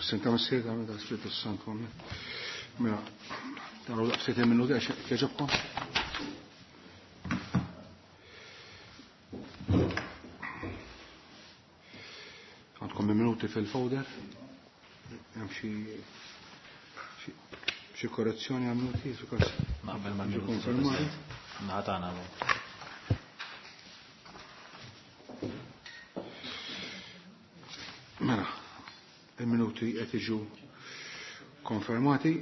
Senta Missier, da Spiritu Santu. Mela, taraw daqsxejn minuti għax jogħġobkom. Għandkom minuti fil-folder. Hemm xi korrezzjoni għal minuti, Naqbel ma' konfermati. Naħatana. Mela, il-minuti qed jiġu konfermati.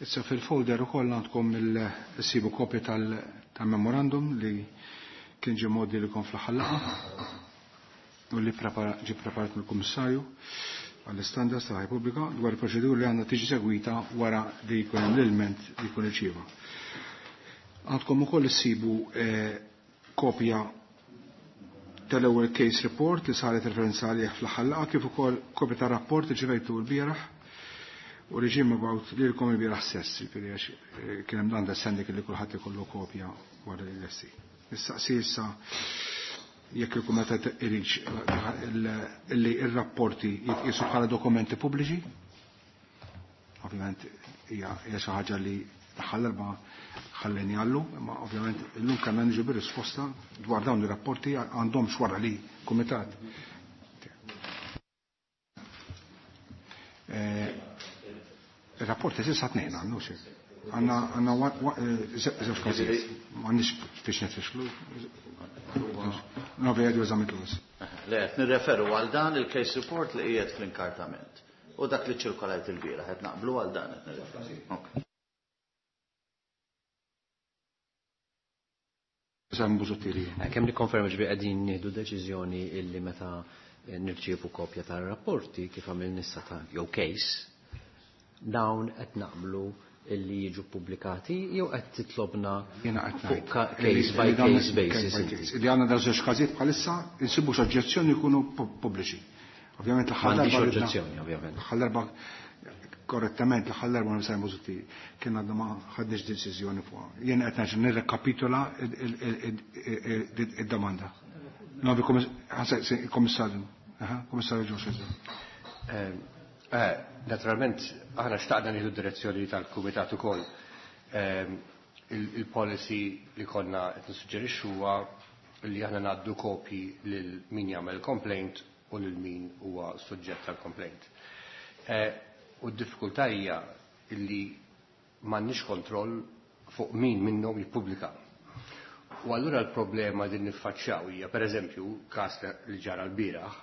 Issa fil-folder ukoll għandkom il-sibu kopja tal-memorandum li kien ġie modi li kon fl-aħħar laqgħa u li ġie preparat mill-Kummissarju għall-istandards tal ħajja pubblika dwar il-proċedura li għandha tiġi segwita wara li jkun hemm l-ilment li jkun irċieva. Għandkom ukoll issibu kopja tal-ewwel case report li saret referenza għalih fl-aħħar laqgħa kif ukoll kopja tar-rapport li ġivejtu l-bieraħ u li ġie mibgħut lilkom il-bieraħ stess, jiġifieri għax kien hemm l-understanding li kulħadd ikollu kopja wara li lesti. Nistaqsi issa jekk il-Kumitat iridx li r-rapporti jitqisu bħala dokumenti pubbliċi. Ovvjament hija xi ħaġa li l-aħħar darba ħalleni għallu, imma ovvjament illum kellna niġu bir-risposta dwar dawn ir-rapporti għandhomx wara li kumitat. Il-rapporti s'issa tnejn għandu xi. Għandna żewġ każijiet. M'għandniex biex nitfixlu. Novi għadu eżami tlus. Le, qed nirreferu għal dan il-case report li qiegħed fl-inkartament. U dak li ċirkolajt il-bieraħ qed naqblu għal dan qed nirreferu. Ok. Sam Busuttil. Kemm nikkonferma ġbi qegħdin nieħdu deċiżjoni illi meta nirċievu kopja tar-rapporti kif għamil nissa ta' jew case, dawn qed naqblu illi jiġu pubblikati jew qed titlobna Jiena qed fuq ngħid case by li dawn case basis case by inti. case. Li għandna dawn żewġ każijiet bħalissa insibu x'oġġezzjoni jkunu pubbliċi. Ovvjament l-aħħar M'għandix darba ridna oġġezzjoni, ovvjament. L-aħħar darba korrettament l-aħħar darba ma sajmu Busuttil kien għadna ma ħadniex deċiżjoni fuqha. Jien qed ngħid nirrekapitola id-domanda. Novi komissarju. Aha, komissarju Joshua. Naturalment, aħna xtaqna nieħdu direzzjoni tal-Kumitat ukoll. Il-policy li konna qed nissuġġerixxu huwa li aħna ngħaddu kopji lil min jagħmel complaint u lil min huwa suġġett tal-complaint. U d-diffikultà hija li m'għandniex kontroll fuq min minnhom jippubblika. U allura l-problema din niffaċċjaw hija, pereżempju, każ li ġara l-bieraħ,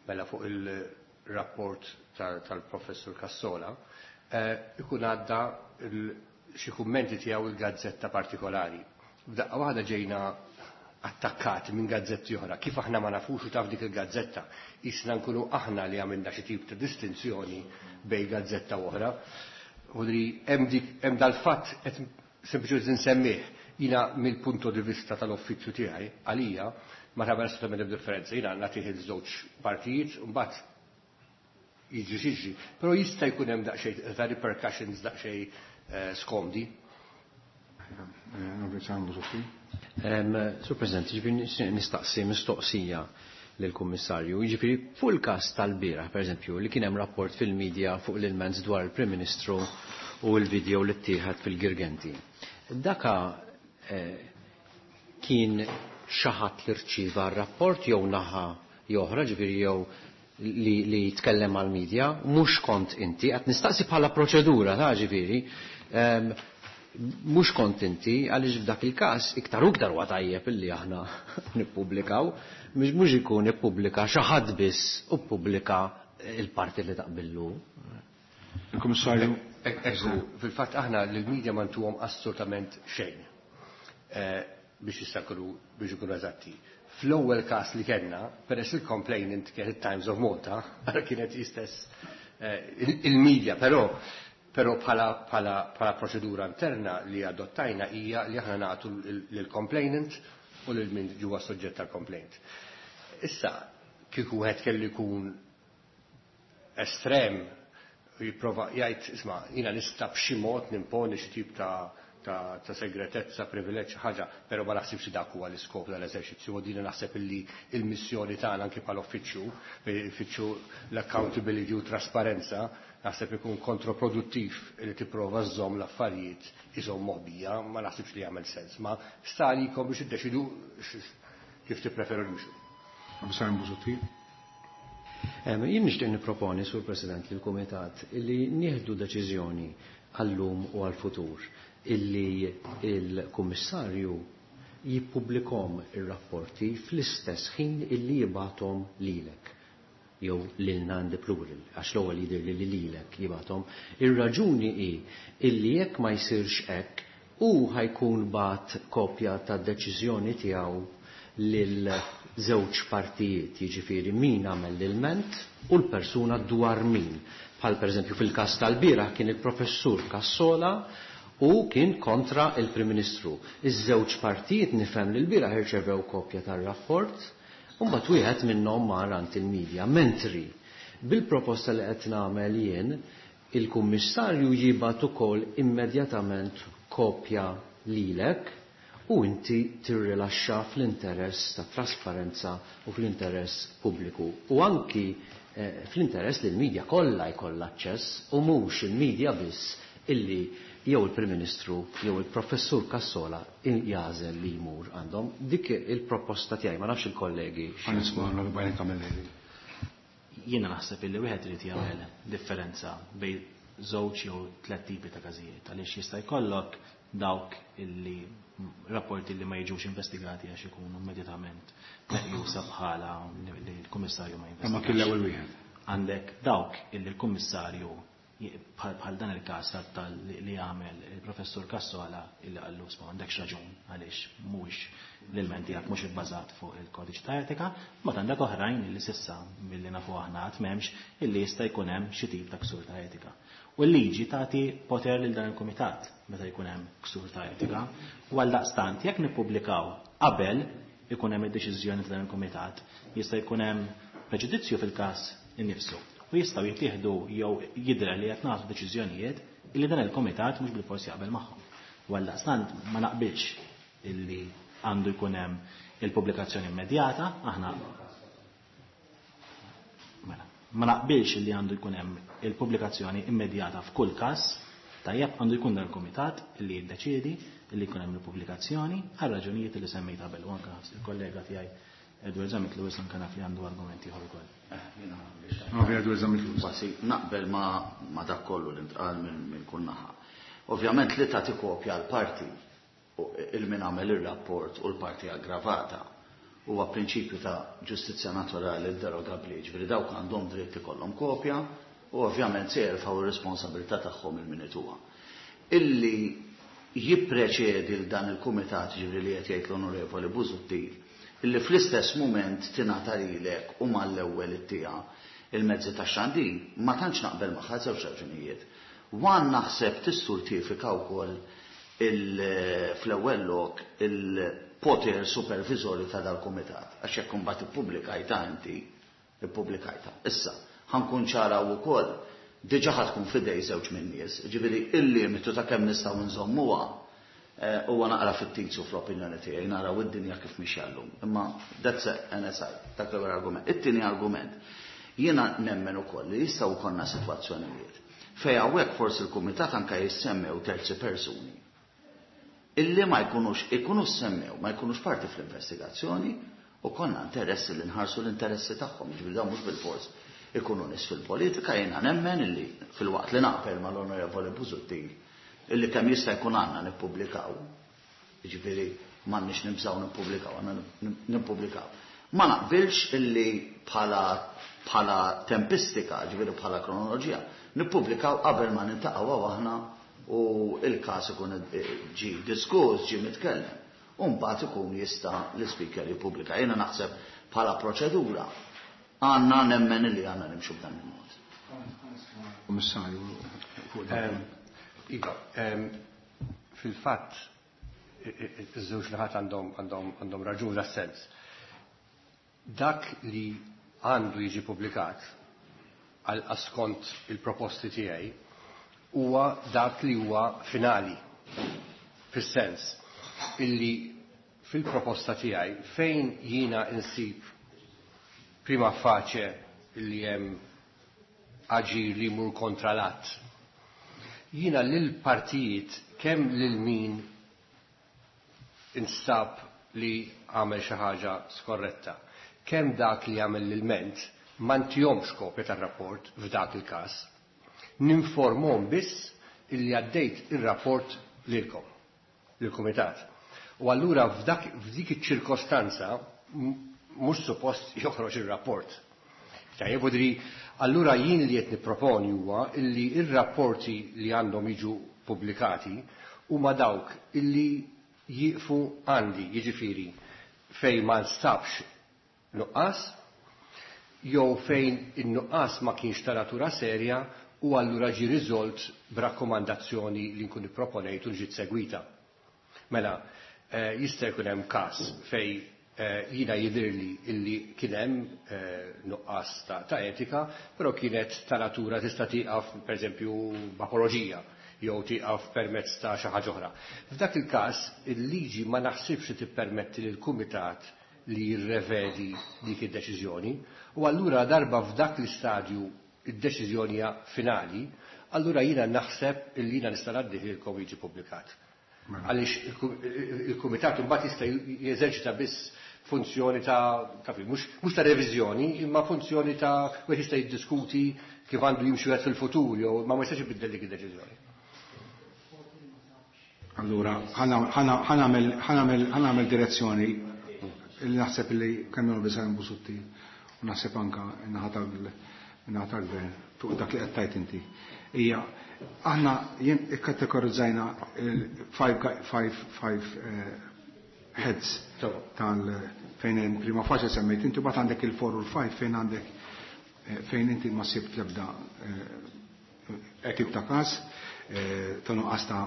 mela fuq il-rapport tal-professur Cassola, ikun għadda xi kummenti tiegħu il-gazzetta partikolari. F'daqqa waħda ġejna attakkati minn gazzetti oħra. Kif aħna ma nafux u taf dik il-gazzetta, isna nkunu aħna li għamilna xi tip ta' distinzjoni bej gazzetta u oħra. Vodri, hemm dal-fatt qed sempliċement insemmih. Jina mill-punto di vista tal-uffiċċju tiegħi, għalija, ma tagħmel assolutament differenza. Jina nagħtih iż-żewġ partijiet u mbagħad jiġri xiġri. Però jista' jkun hemm daqsxejn ta' repercussions daqsxejn skomdi. Sur President, jiġifieri nistaqsi mistoqsija lill-Kummissarju. Jiġifieri fuq il-każ tal-bieraħ, pereżempju, li kien hemm rapport fil-medja fuq l-ilment dwar il-Prim Ministru u l-video li ttieħed fil-Girgenti. Daka kien xi ħadd li rċieva r-rapport jew naħa jew oħra, ġifieri jew li jitkellem għal-medja, mhux kont inti, qed nistaqsi bħala proċedura ta' ġifieri, mhux kont inti, għaliex f'dak il-każ iktar u iktar huwa tajjeb illi aħna nippubblikaw, mhux ikun ippubblika xi ħadd biss u ppubblika il-parti li taqbillu. Il-Kummissarju. Ekku, fil-fatt aħna lill-medja ma ntuhom assolutament xejn biex jistakru biex ikunu eżatti. Fl-ewwel każ li kellna, peress il-complainant kienet Times of Malta, kienet istess il-media, però bħala proċedura interna li adottajna hija li aħna nagħtu lill-complainant u lil min ġewwa soġġett tal-complaint. Issa, kieku wieħed kellu jkun estrem, jipprova jgħid, isma', jiena nista' b'xi mod nimponi xi tip ta' segretezza, privileġġ, ħaġa, però ma naħsibx dak huwa l-iskop tal-eżerċizzju, u din naħseb illi il-missjoni tagħna anke bħala uffiċċju, uffiċċju l-accountability u trasparenza, naħseb ikun kontroproduttiv li tipprova żżomm l-affarijiet iżomm moħbija, ma naħsibx li jagħmel sens, ma sta għalikom biex iddeċidu kif tippreferu nimxu. Kummissarju Busuttil. Jien nixtieq nipproponi, Sur President, lill-Kumitat illi nieħdu deċiżjoni għallum u għal-futur illi il-Kummissarju jippubblikom ir-rapporti fl-istess ħin illi jibgħathom lilek jew lilna in the plural, għax l-ewwel jidher li lilek jibgħathom. Ir-raġuni hi illi jekk ma jsirx hekk hu ħajkun bat kopja tad-deċiżjoni tiegħu lil żewġ partijiet, jiġifieri min għamel l-ilment u l-persuna dwar min. Bħal pereżempju fil-każ tal-bieraħ kien il-professur Cassola u kien kontra il-Prim Ministru. Iż-żewġ partijiet nifhem li l-bieraħ irċevew kopja tar-rapport u mbagħad wieħed minnhom mar għand il-medja. Mentri bil-proposta li qed nagħmel jien, il-Kummissarju jibgħat ukoll immedjatament kopja lilek u inti tirrilaxxa fl-interess ta' trasparenza u fl-interess pubbliku. U anki fl-interess li l-medja kollha jkollha aċċess u mhux il-medja biss illi jew il-Prim Ministru jew il-Professur Cassola jagħżel li jmur għandhom. Dik il-proposta tiegħi, ma nafx il-kollegi. Ħa nisma' l-Bajna Camilleri. Jiena naħseb illi wieħed irid jagħmel differenza bejn żewġ jew tliet tipi ta' każijiet, għaliex jista' jkollok dawk illi rapporti li ma jiġux investigati għax ikunu immedjatament meqjusa bħala li l-Kummissarju ma Ma kien l-ewwel wieħed. Għandek dawk illi l-Kummissarju bħal dan il-każ tal li għamel il-Professur Cassola illi qallu sma għandekx raġun għaliex mhuwiex l-ilment tiegħek mhux ibbażat fuq il-kodiċi ta' etika, ma għandek oħrajn illi s'issa milli nafu aħna qatt m'hemmx illi jista' jkun hemm xi tip ta' ksur ta' etika. U l-liġi tagħti poter lil dan il-kumitat meta jkun hemm ksur ta' etika. U għaldaqstant jekk nippubblikaw qabel ikun hemm id-deċiżjoni ta' dan il-kumitat, jista' jkun hemm preġudizzju fil-każ innifsu. U jistgħu jittieħdu jew jidher li qed nagħtu deċiżjonijiet illi dan il-kumitat mhux bil-forsi jaqbel magħhom. U għaldaqstant ma naqbilx illi għandu jkun hemm il-pubblikazzjoni immedjata, aħna mela, ma naqbilx illi għandu jkun hemm il-pubblikazzjoni immedjata f'kull każ, tajjeb għandu jkun dan il-kumitat illi jiddeċiedi illi jkun hemm il-pubblikazzjoni għal raġunijiet li semmejt qabel u anke il-kollega tiegħi Edward Zammit Lewis anke naf li għandu argumenti ieħor ukoll. Ovvja Edward Zammit Lewis. Kważi naqbel ma dak kollu li ntqal minn kull naħa. Ovvjament li tagħti kopja għal parti u il-min għamel ir-rapport u l-parti aggravata huwa prinċipju ta' ġustizzja naturali derogabbli, ġifieri dawk għandhom dritt ikollhom kopja u ovvjament se jerfgħu r-responsabilità tagħhom il-minituha. Illi jippreċedi l dan il-kumitat, ġifieri li qed jgħid l-Onorevoli Busuttil, illi fl-istess mument tingħata lilek u mal-ewwel ittieha il-mezzi tax-xandir, ma tantx naqbel magħha żewġ raġunijiet. Wan naħseb tisturtifika wkoll fl-ewwel lok il-poter supervisorju ta' dal-kumitat, għax jekk imbagħad ippubblikajta inti, ippubblikajta. Issa, ħankun ċara wkoll, diġà ħa tkun fidej żewġ minn nies, ġifieri il-limitu ta' kemm nistgħu nżommuha huwa naqra fittizju fl-opinjoni tiegħi, naraw id-dinja kif mixja llum. Imma that's an aside, dak l-ewwel argument. It-tieni argument, jiena nemmen ukoll li jistgħu jkollna sitwazzjonijiet fejn hawnhekk forsi l-kumitat anke jissemmew terzi persuni illi ma jkunux, ikunu semmew, ma jkunux parti fl-investigazzjoni u konna interessi li nħarsu l-interessi tagħhom, jiġifieri dawn mhux bil-fors ikunu nies fil-politika, jiena nemmen illi fil-waqt li naqbel mal-Onorevoli Busuttil illi kemm jista' jkun għandna nippubblikaw, jiġifieri m'għandniex nibżgħu nippubblikaw, għandna nippubblikaw. Ma naqbilx illi bħala tempistika, ġifieri bħala kronoloġija, nippubblikaw qabel ma niltaqgħu aħna u il-każ ikun ġi diskuss, ġi mitkellem. U mbagħad ikun jista' l-ispeaker jippubblika. Jiena naħseb bħala proċedura għandna nemmen illi għandna nimxu b'dan il-mod. Kummissarju, fuq dan. Iva, fil-fatt iż-żewġ naħat għandhom raġun sens. Dak li għandu jiġi publikat għal skont il-proposti tiegħi huwa dak li huwa finali. Fis-sens illi fil-proposta tiegħi fejn jiena insib prima facie illi hemm aġir li jmur kontra l-att. Jiena lil partijiet kemm lil min instab li għamel xi ħaġa skorretta, kemm dak li għamel l-ilment ma ntihomx kopja tar-rapport f'dak il-każ. Ninformhom biss illi għaddejt ir-rapport lilkom, lill-kumitat. U allura f'dak f'dik iċ-ċirkostanza mhux suppost joħroġ ir-rapport. Tajjeb, u allura jien li qed nipproponi huwa illi ir-rapporti li għandhom jiġu pubblikati huma dawk illi jieqfu għandi, jiġifieri fejn ma nstabx nuqqas, jew fejn in-nuqqas ma kienx ta' natura serja u allura ġie riżolt b'rakkomandazzjoni li nkun ipproponejt u ġiet segwita. Mela, jista' jkun hemm każ fejn jiena jidhirli illi kien hemm nuqqas ta' etika, però kienet ta' natura tista' tieqaf pereżempju b'apoloġija jew tieqaf permezz ta' xi ħaġa oħra. F'dak il-każ il-liġi ma naħsibx li tippermetti lill-kumitat li jirrevedi dik id-deċiżjoni u allura darba f'dak l-istadju id-deċiżjoni hija finali, allura jiena naħseb illi jiena nista' ngħaddihilkom jiġi pubblikat. Għaliex il-kumitat imbagħad jista' jeżerċita biss funzjoni ta' mhux ta' reviżjoni, imma funzjoni ta' wieħed jista' jiddiskuti kif għandu jimxi wieħed fil-futur jew ma jistax ibiddel dik id-deċiżjoni. Allura, ħa nagħmel direzzjoni li naħseb li kemm biżgħan Busuttil u naħseb anka n-naħa tal-gvern fuq dak li qed tgħid inti. Hija aħna jien ikkategorizzajna five heads tal fejn hemm prima facie semmejt inti, mbagħad għandek il-4 u l-5 fejn għandek fejn inti ma sibt l-ebda tip ta' każ ta' nuqqas ta'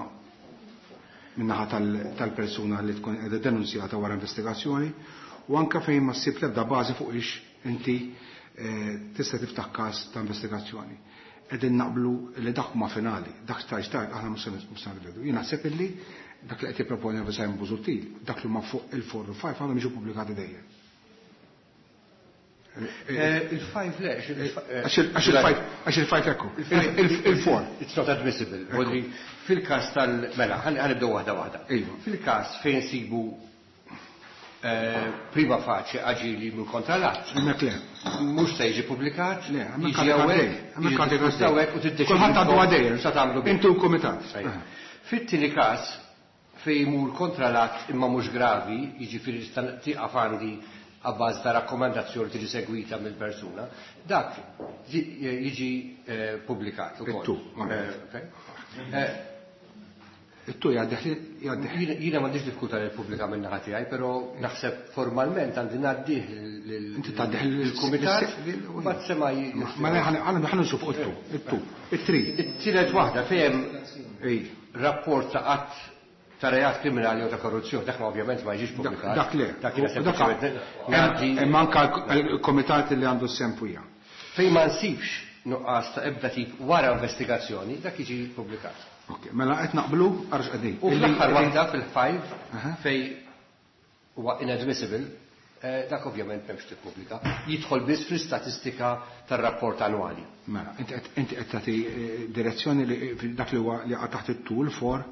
min-naħa tal-persuna li tkun qiegħda denunzjata wara investigazzjoni, u anka fejn ma ssib l-ebda bażi fuq ix inti tista' tiftaħ każ ta' investigazzjoni. Qegħdin naqblu li dak huma finali, dak stajt aħna mhux se nirvedu. Jien naħseb illi dak li qed jipproponi Simon Busuttil, dak li huma fuq il-4 u 5 għandhom jiġu pubblikati dejjem. Il-5 le, Għax il-5 ekku, il-4. It's not admissible. Fil-każ tal-mela, ħa nibdew waħda waħda. Fil-każ fejn sibu prima facie aġir li jmur kontra l-att. Hemmhekk le. Mhux se jiġi pubblikat, Le, hemmhekk jiġi għandek hawnhekk, għaddej, hemmhekk jiġi għandek diskuss għaddej. hawnhekk u tiddeċidi Kulħadd għandu għaddej. sa tagħmlu bih. Intu l-kumitat. Fit-tieni każ fejn jmur kontra l-att imma mhux gravi, jiġifieri tista' tieqaf għandi għabbaż ta' rakkomandazzjoni tiġi segwita mill-persuna, dak jiġi pubblikat ukoll. It-tu, It-tu jgħaddih. Jiena m'għandix diffikultà li ppubblika minn naħa tiegħi, però naħseb formalment għandi ngħaddih Inti tgħaddih lill-kumitat, mbagħad sema' Ma ħa nxufu fuq it-tu, it-tu, it-tri. It-tielet waħda fejn rapport ta' qatt ta' reat kriminali u ta' korruzzjoni, dak ma ovvjament ma jiġix pubblikat. Dak le. Dak jiena sempliċement ngħaddi. Hemm anka l-komitat li għandu s-sem fuqha. Fejn ma nsibx nuqqas ta' ebda tip wara investigazzjoni, dak jiġi pubblikat. Ok, mela qed naqblu għarx qegħdin. U fl-aħħar waħda fil-5 fej huwa inadmissible, dak ovvjament m'hemmx tippubblika, jidħol biss fl-istatistika tar-rapport annwali. Mela, inti qed tagħti direzzjoni li dak li huwa li qatt taħt it-tul for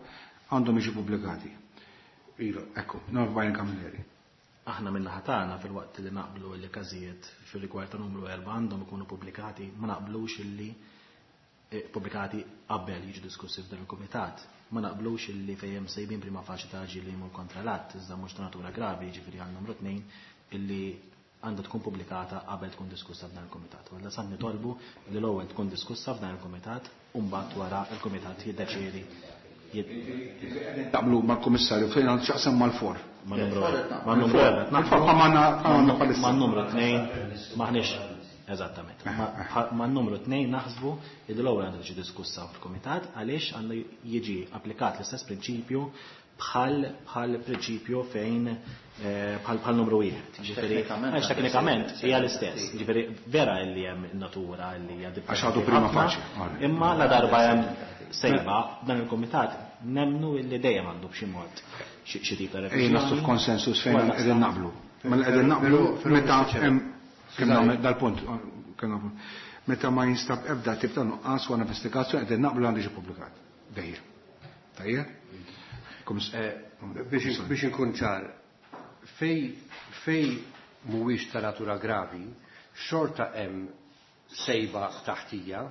għandhom jiġu pubblikati. Iva. Ekku, Norman Camilleri. Aħna minna ħatana fil-waqt li naqblu li każijiet fil-rigward ta' numru 4 għandhom ikunu pubblikati, ma naqblux illi pubblikati qabel jiġu diskussi f'dan il-kumitat. Ma naqblux illi fejn sejbin prima facie ta' li jmur kontra l-att, iżda mhux ta' natura gravi, jiġifieri għal numru 2 illi għandha tkun pubblikata qabel tkun diskussa f'dan il-kumitat. Walla san nitolbu li l-ewwel tkun diskussa f'dan il-kumitat u mbagħad wara il-kumitat jiddeċiedi. Taqblu mal-kummissarju fejn għandu x'jaqsam mal-for. Ma' numru ma' numru Mal-for bħalma bħalissa. Ma' numru 2 maħniex eżattament. Ma' numru 2 naħsbu li l-ewwel għandu tiġi diskussa fil-kumitat għaliex għandu jiġi applikat l-istess prinċipju bħal prinċipju fejn bħal numru 1. Ġifieri, għax teknikament hija l-istess. Ġifieri vera li hemm natura li hija Għax għadu prima ħafna, facie. Imma la darba hemm sejba dan il-kumitat Nemmnu illi dejjem għandu b'xi mod xi tip ta' Ej, naslu f'konsensus fejn qegħdin naqblu. Mela qegħdin naqblu meta hemm kemm nagħmel dal-punt kemm nagħmel. Meta ma jinstab ebda tip ta' nuqqas wara investigazzjoni qegħdin naqblu għandu jiġi ppubblikat. Dejjem. Tajjeb? Biex inkun ċar, fej mhuwiex ta' natura gravi, xorta hemm sejba taħtija,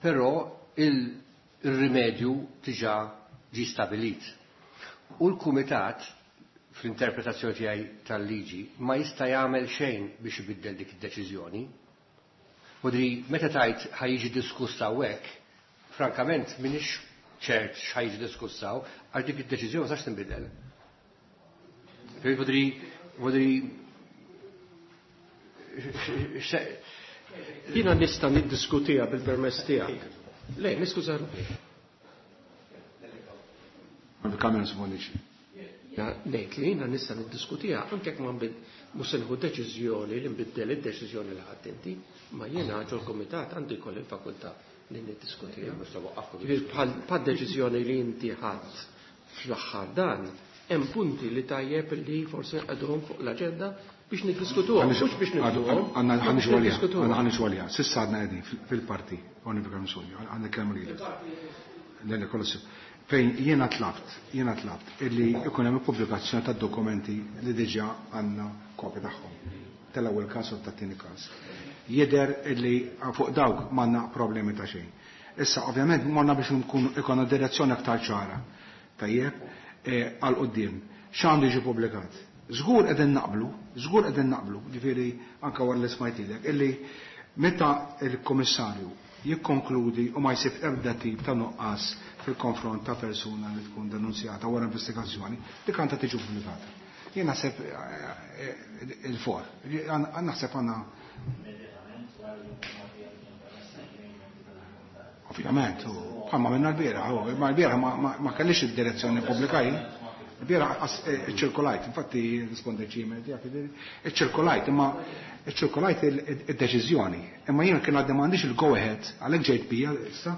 però il-rimedju diġà ġie stabilit. U l-kumitat, fl-interpretazzjoni tiegħi tal-liġi, ma jista' jagħmel xejn biex ibiddel dik id-deċiżjoni. Vodri, meta tajt ħa jiġi diskuss hawnhekk, frankament m'iniex ċert x'ħa jiġi diskuss hawn, għax dik id-deċiżjoni ma tistax tinbidel. Vodri, Jiena nista' niddiskutiha bil-permess tiegħek. Le, niskuża ruħi. Il-kamera smonix. Ngħid li jiena nista' niddiskutiha anke jekk ma mhux se nieħu deċiżjoni li nbiddel id-deċiżjoni li ħadd inti, ma jiena ġol-kumitat għandi jkolli l-fakultà li niddiskutiha. Bħal deċiżjoni li inti ħadd fl-aħħar dan, hemm punti li tajjeb li forsi nqegħduhom fuq l-aġenda biex niddiskutuhom, mhux biex nibduhom. Għandna biex ħanixu għalija, niddiskutuhom. għandna ħanixu għalija. S'issa għadna qegħdin fil-parti, Oliver Msuni, għandna kelma lilek. Le, le, kollu sew. Fejn jiena tlabt illi ikun hemm pubblikazzjoni tad-dokumenti li diġà għandna kopja tagħhom. Tal-ewwel każ u tat-tieni każ. Jidher illi fuq dawk m'għandna problemi ta' xejn. Issa ovvjament morna biex nkunu ikonna direzzjoni aktar ċara. Tajjeb, għal quddiem. X'għandu jiġi pubblikat? Żgur qegħdin naqblu, żgur qegħdin naqblu, ġifieri anke wara li smajtilek, illi meta l-Kummissarju jikkonkludi u ma jsib ebda tip ta' nuqqas fil-konfront ta' persuna li tkun denunzjata wara investigazzjoni, dik għandha tiġi pubblikata. Jien naħseb il-for, naħseb għandna Ovvjament, u bħalma minna l-bieraħ, u ma l-bieraħ ma kellix id-direzzjoni pubblika jien. L-bieraħ ċirkolajt, infatti rispondejt xi email tiegħek, jiġifieri, iċċirkolajt, imma iċċirkolajt id-deċiżjoni. Imma jien kien għadni m'għandix il-go ahead, għalhekk ġejt bija issa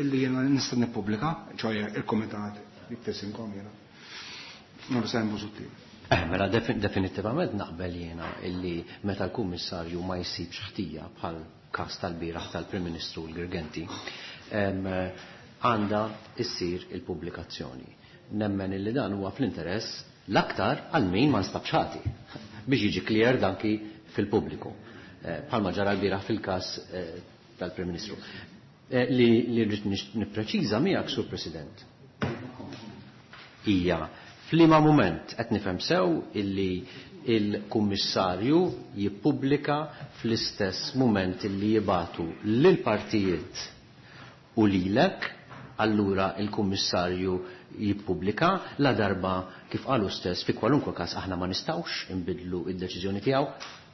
illi jiena nista' nippubblika, ċoħe il-kumitat jiktesinkom jiena. Non se hemm Busuttil. Mela definitivament naqbel jiena illi meta l-kummissarju ma jsibx ħtija bħal każ tal-bieraħ tal-Prim Ministru l-Girgenti, għandha issir il-pubblikazzjoni. Nemmen illi dan huwa fl-interess l-aktar għal min ma nstabx ħati biex jiġi clear danki fil-pubbliku. Bħalma ġara l-bieraħ fil-każ tal-Prim Ministru. Li rrid nippreċiża miegħek, Sur President, hija f'liema mument qed nifhem sew illi il-Kummissarju jippubblika fl-istess mument illi jibatu lill-partijiet u lilek, allura il-Kummissarju jippubblika la darba kif qalu stess fi kwalunkwe każ aħna ma nistgħux inbidlu id-deċiżjoni tiegħu,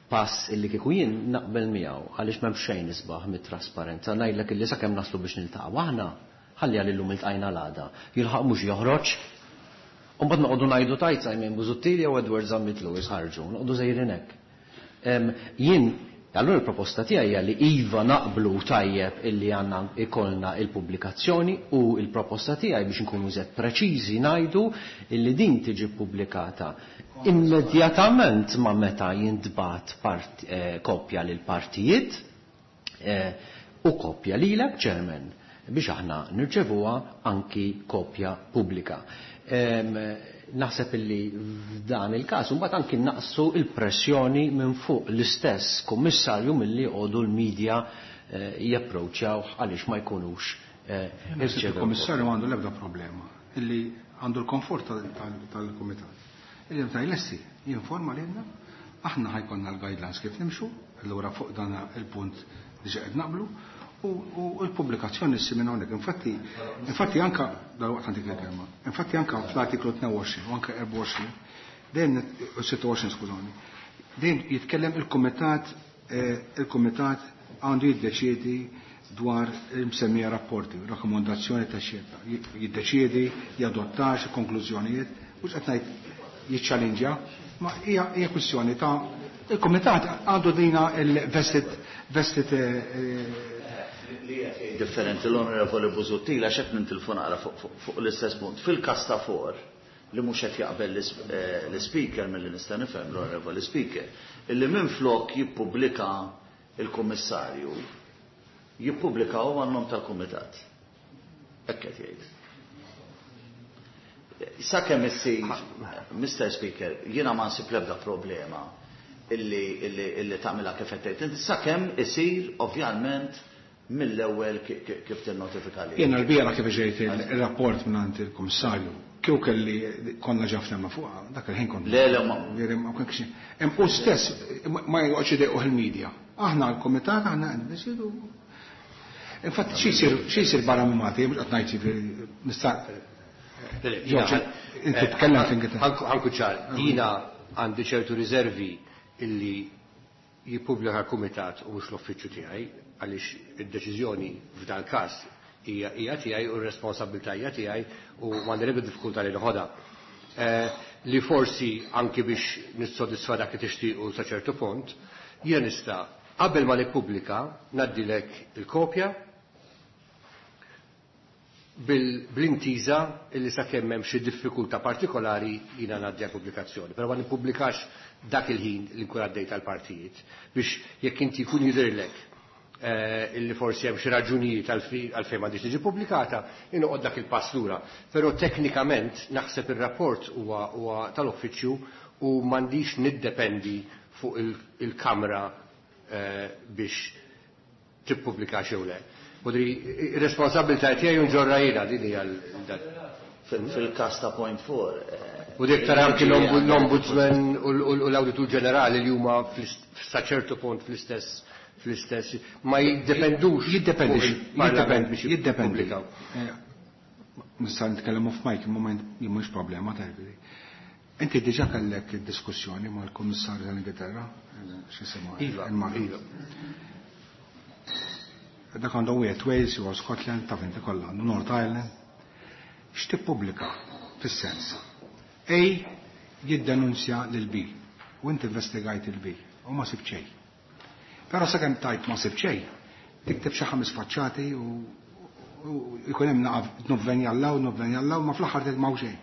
pass illi kieku jien naqbel miegħu għaliex m'hemm xejn isbaħ mit-trasparenza. Ngħidlek illi sakemm naslu biex niltaqgħu aħna, ħalli għal illum iltqajna l-għada. Jilħaq mhux joħroġ. U mbagħad noqogħdu ngħidu tajt Simon Busuttil jew Edward Zammit Lewis ħarġu, noqogħdu żejrin hekk. Jien allura l-proposta tiegħi hija li iva naqblu tajjeb illi għandna ikollna il-pubblikazzjoni u l-proposta tiegħi biex inkunu żed preċiżi ngħidu illi din tiġi ppubblikata immedjatament ma' meta jintbagħat kopja lil partijiet u kopja lilek, Chairman, biex aħna nirċevuha anki kopja pubblika. Naħseb illi f'dan il-każ imbagħad anki naqsu il-pressjoni minn fuq l-istess kummissarju milli jqogħdu l-medja japproċċjaw għaliex ma jkunux Naħseb irċevew il-kummissarju għandu l-ebda problema illi għandu l-komfort tal-kumitat. Illi meta jlesti jinforma lilna, aħna ħajkonna l-guidelines kif nimxu, allura fuq dan il-punt diġà qed naqblu, u l-pubblikazzjoni ssir minn hawnhekk. Infatti, infatti anka dal-waqt għandik il-kelma, infatti anka fl-artiklu 22 u anka 24, dejjem u 26, skużani, dejjem jitkellem il-kumitat għandu jiddeċiedi dwar il-msemmija rapporti, rakkomandazzjoni ta' xierta, jiddeċiedi, jadottax konklużjonijiet, mhux qed ngħid jiċċalinġja, ma hija kwistjoni ta' il-kumitat għandu dina il-vested vested Differenti l-Onorevoli Busuttil għax qed nintilfu naqra fuq l-istess punt. Fil-każ ta' for li mhux qed jaqbel l-Ispeaker milli nista' nifhem l-Onorevoli Speaker, illi minflok jippubblika il-Kummissarju jippubblika hu għan-nom tal-Kumitat. Hekk qed jgħid. Sakemm issir, Mr. Speaker, jiena ma nsib l-ebda problema illi illi illi tagħmilha kif qed tgħid inti sakemm isir ovvjament mill-ewwel kif tinnotifika li. Jiena l-bieraħ kif ġejt il-rapport mingħand il-Kummissarju, kieku kelli konna ġa ftemna fuqha, dak il-ħin kont. Le, le, ma. Ma kienx. Hemm u stess ma joqgħodx idejquh il-media. Aħna l-kumitat aħna qed nisidu. Infatti xi jsir xi jsir barra minn Malta, jien mhux qed ngħid jiġifieri nista' Inti tkellem fl-Ingilterra. Ħa nkun ċar, jiena għandi ċertu riservi illi jippubblika l-kumitat u mhux l-uffiċċju tiegħi għaliex id-deċiżjoni f'dan każ hija hija tiegħi u r-responsabbiltà hija tiegħi u m'għandi l-ebda diffikultà li noħodha. Li forsi anki biex nissodisfa dak li tixtiequ sa ċertu punt, jiena nista' qabel ma nippubblika ngħaddilek il-kopja bl-intiża illi sakemm hemm xi diffikultà partikolari jiena ngħaddi għall-pubblikazzjoni. Però ma nippubblikax dak il-ħin li nkun għaddejt għall-partijiet biex jekk inti jkun jidhirlek illi forsi hemm xi raġunijiet għalfejn m'għandhiex tiġi pubblikata, noqgħod dak il-pass lura. Però teknikament naħseb ir-rapport huwa tal-uffiċċju u m'għandix niddependi fuq il-Kamra biex tippubblika jew le. Budri, ir-responsabbiltà tiegħi nġorra jiena din hija Fil-każ ta' point 4. U dik tara anki l-Ombudsman u l-Awditur Ġenerali li huma sa ċertu punt fl-istess ma jiddependux. Jiddependi biex jiddependi. Nista' nitkellem off mic moment li mhux problema ta' Inti diġà kellek diskussjoni mal-Kummissarju tal-Ingilterra, x'isimha? Iva. Iva. Dak għandu wieħed Wales jew Scotland taf inti kollha għandu North Ireland. X'tippubblika fis-sens? A jiddenunzja lil B u inti investigajt il B u ma sib xejn. Però sakemm tajt ma sib xejn, tikteb xi ħames faċċati u jkun hemm naqaf nuvvenjallaw, nuvvenjallaw, ma fl-aħħar tgħid m'hawn xejn.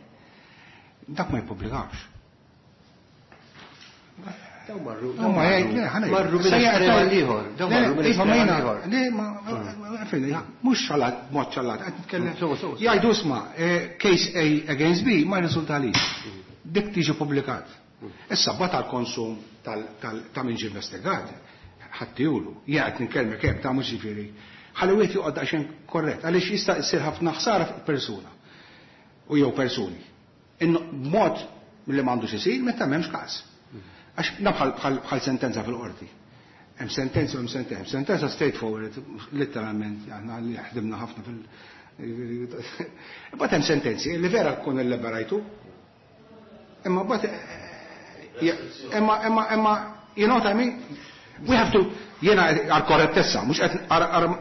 Dak ma jippubblikax. Daw marru. Ma jgħid, le, ħana. Marru minn estrem għall-ieħor. Daw marru minn estrem għall-ieħor. Le, ma, għalfejn, mhux ċalat, mod ċalat, qed nitkellem. Jgħidu isma', case A against B ma jirriżultalix. Dik tiġi publikat. Issa bat għal-konsum ta' min ġie investigat, ħaddijulu, jien qed nitkellmek hekk ta' mhux ġifieri. Ħalli wieħed joqgħod daqsxejn korrett, għaliex jista' jsir ħafna ħsara fuq persuna u jew persuni. B'mod li m'għandux isir meta m'hemmx każ. Għax bħal sentenza fil-qorti. Hemm sentenza u hemm sentenza. Sentenza straightforward, letteralment, aħna li ħdimna ħafna fil- Imbagħad hemm sentenzi li vera tkun illiberajtu. Imma mbagħad imma imma imma you know what I mean? We have to jiena għal korrettezza, mhux qed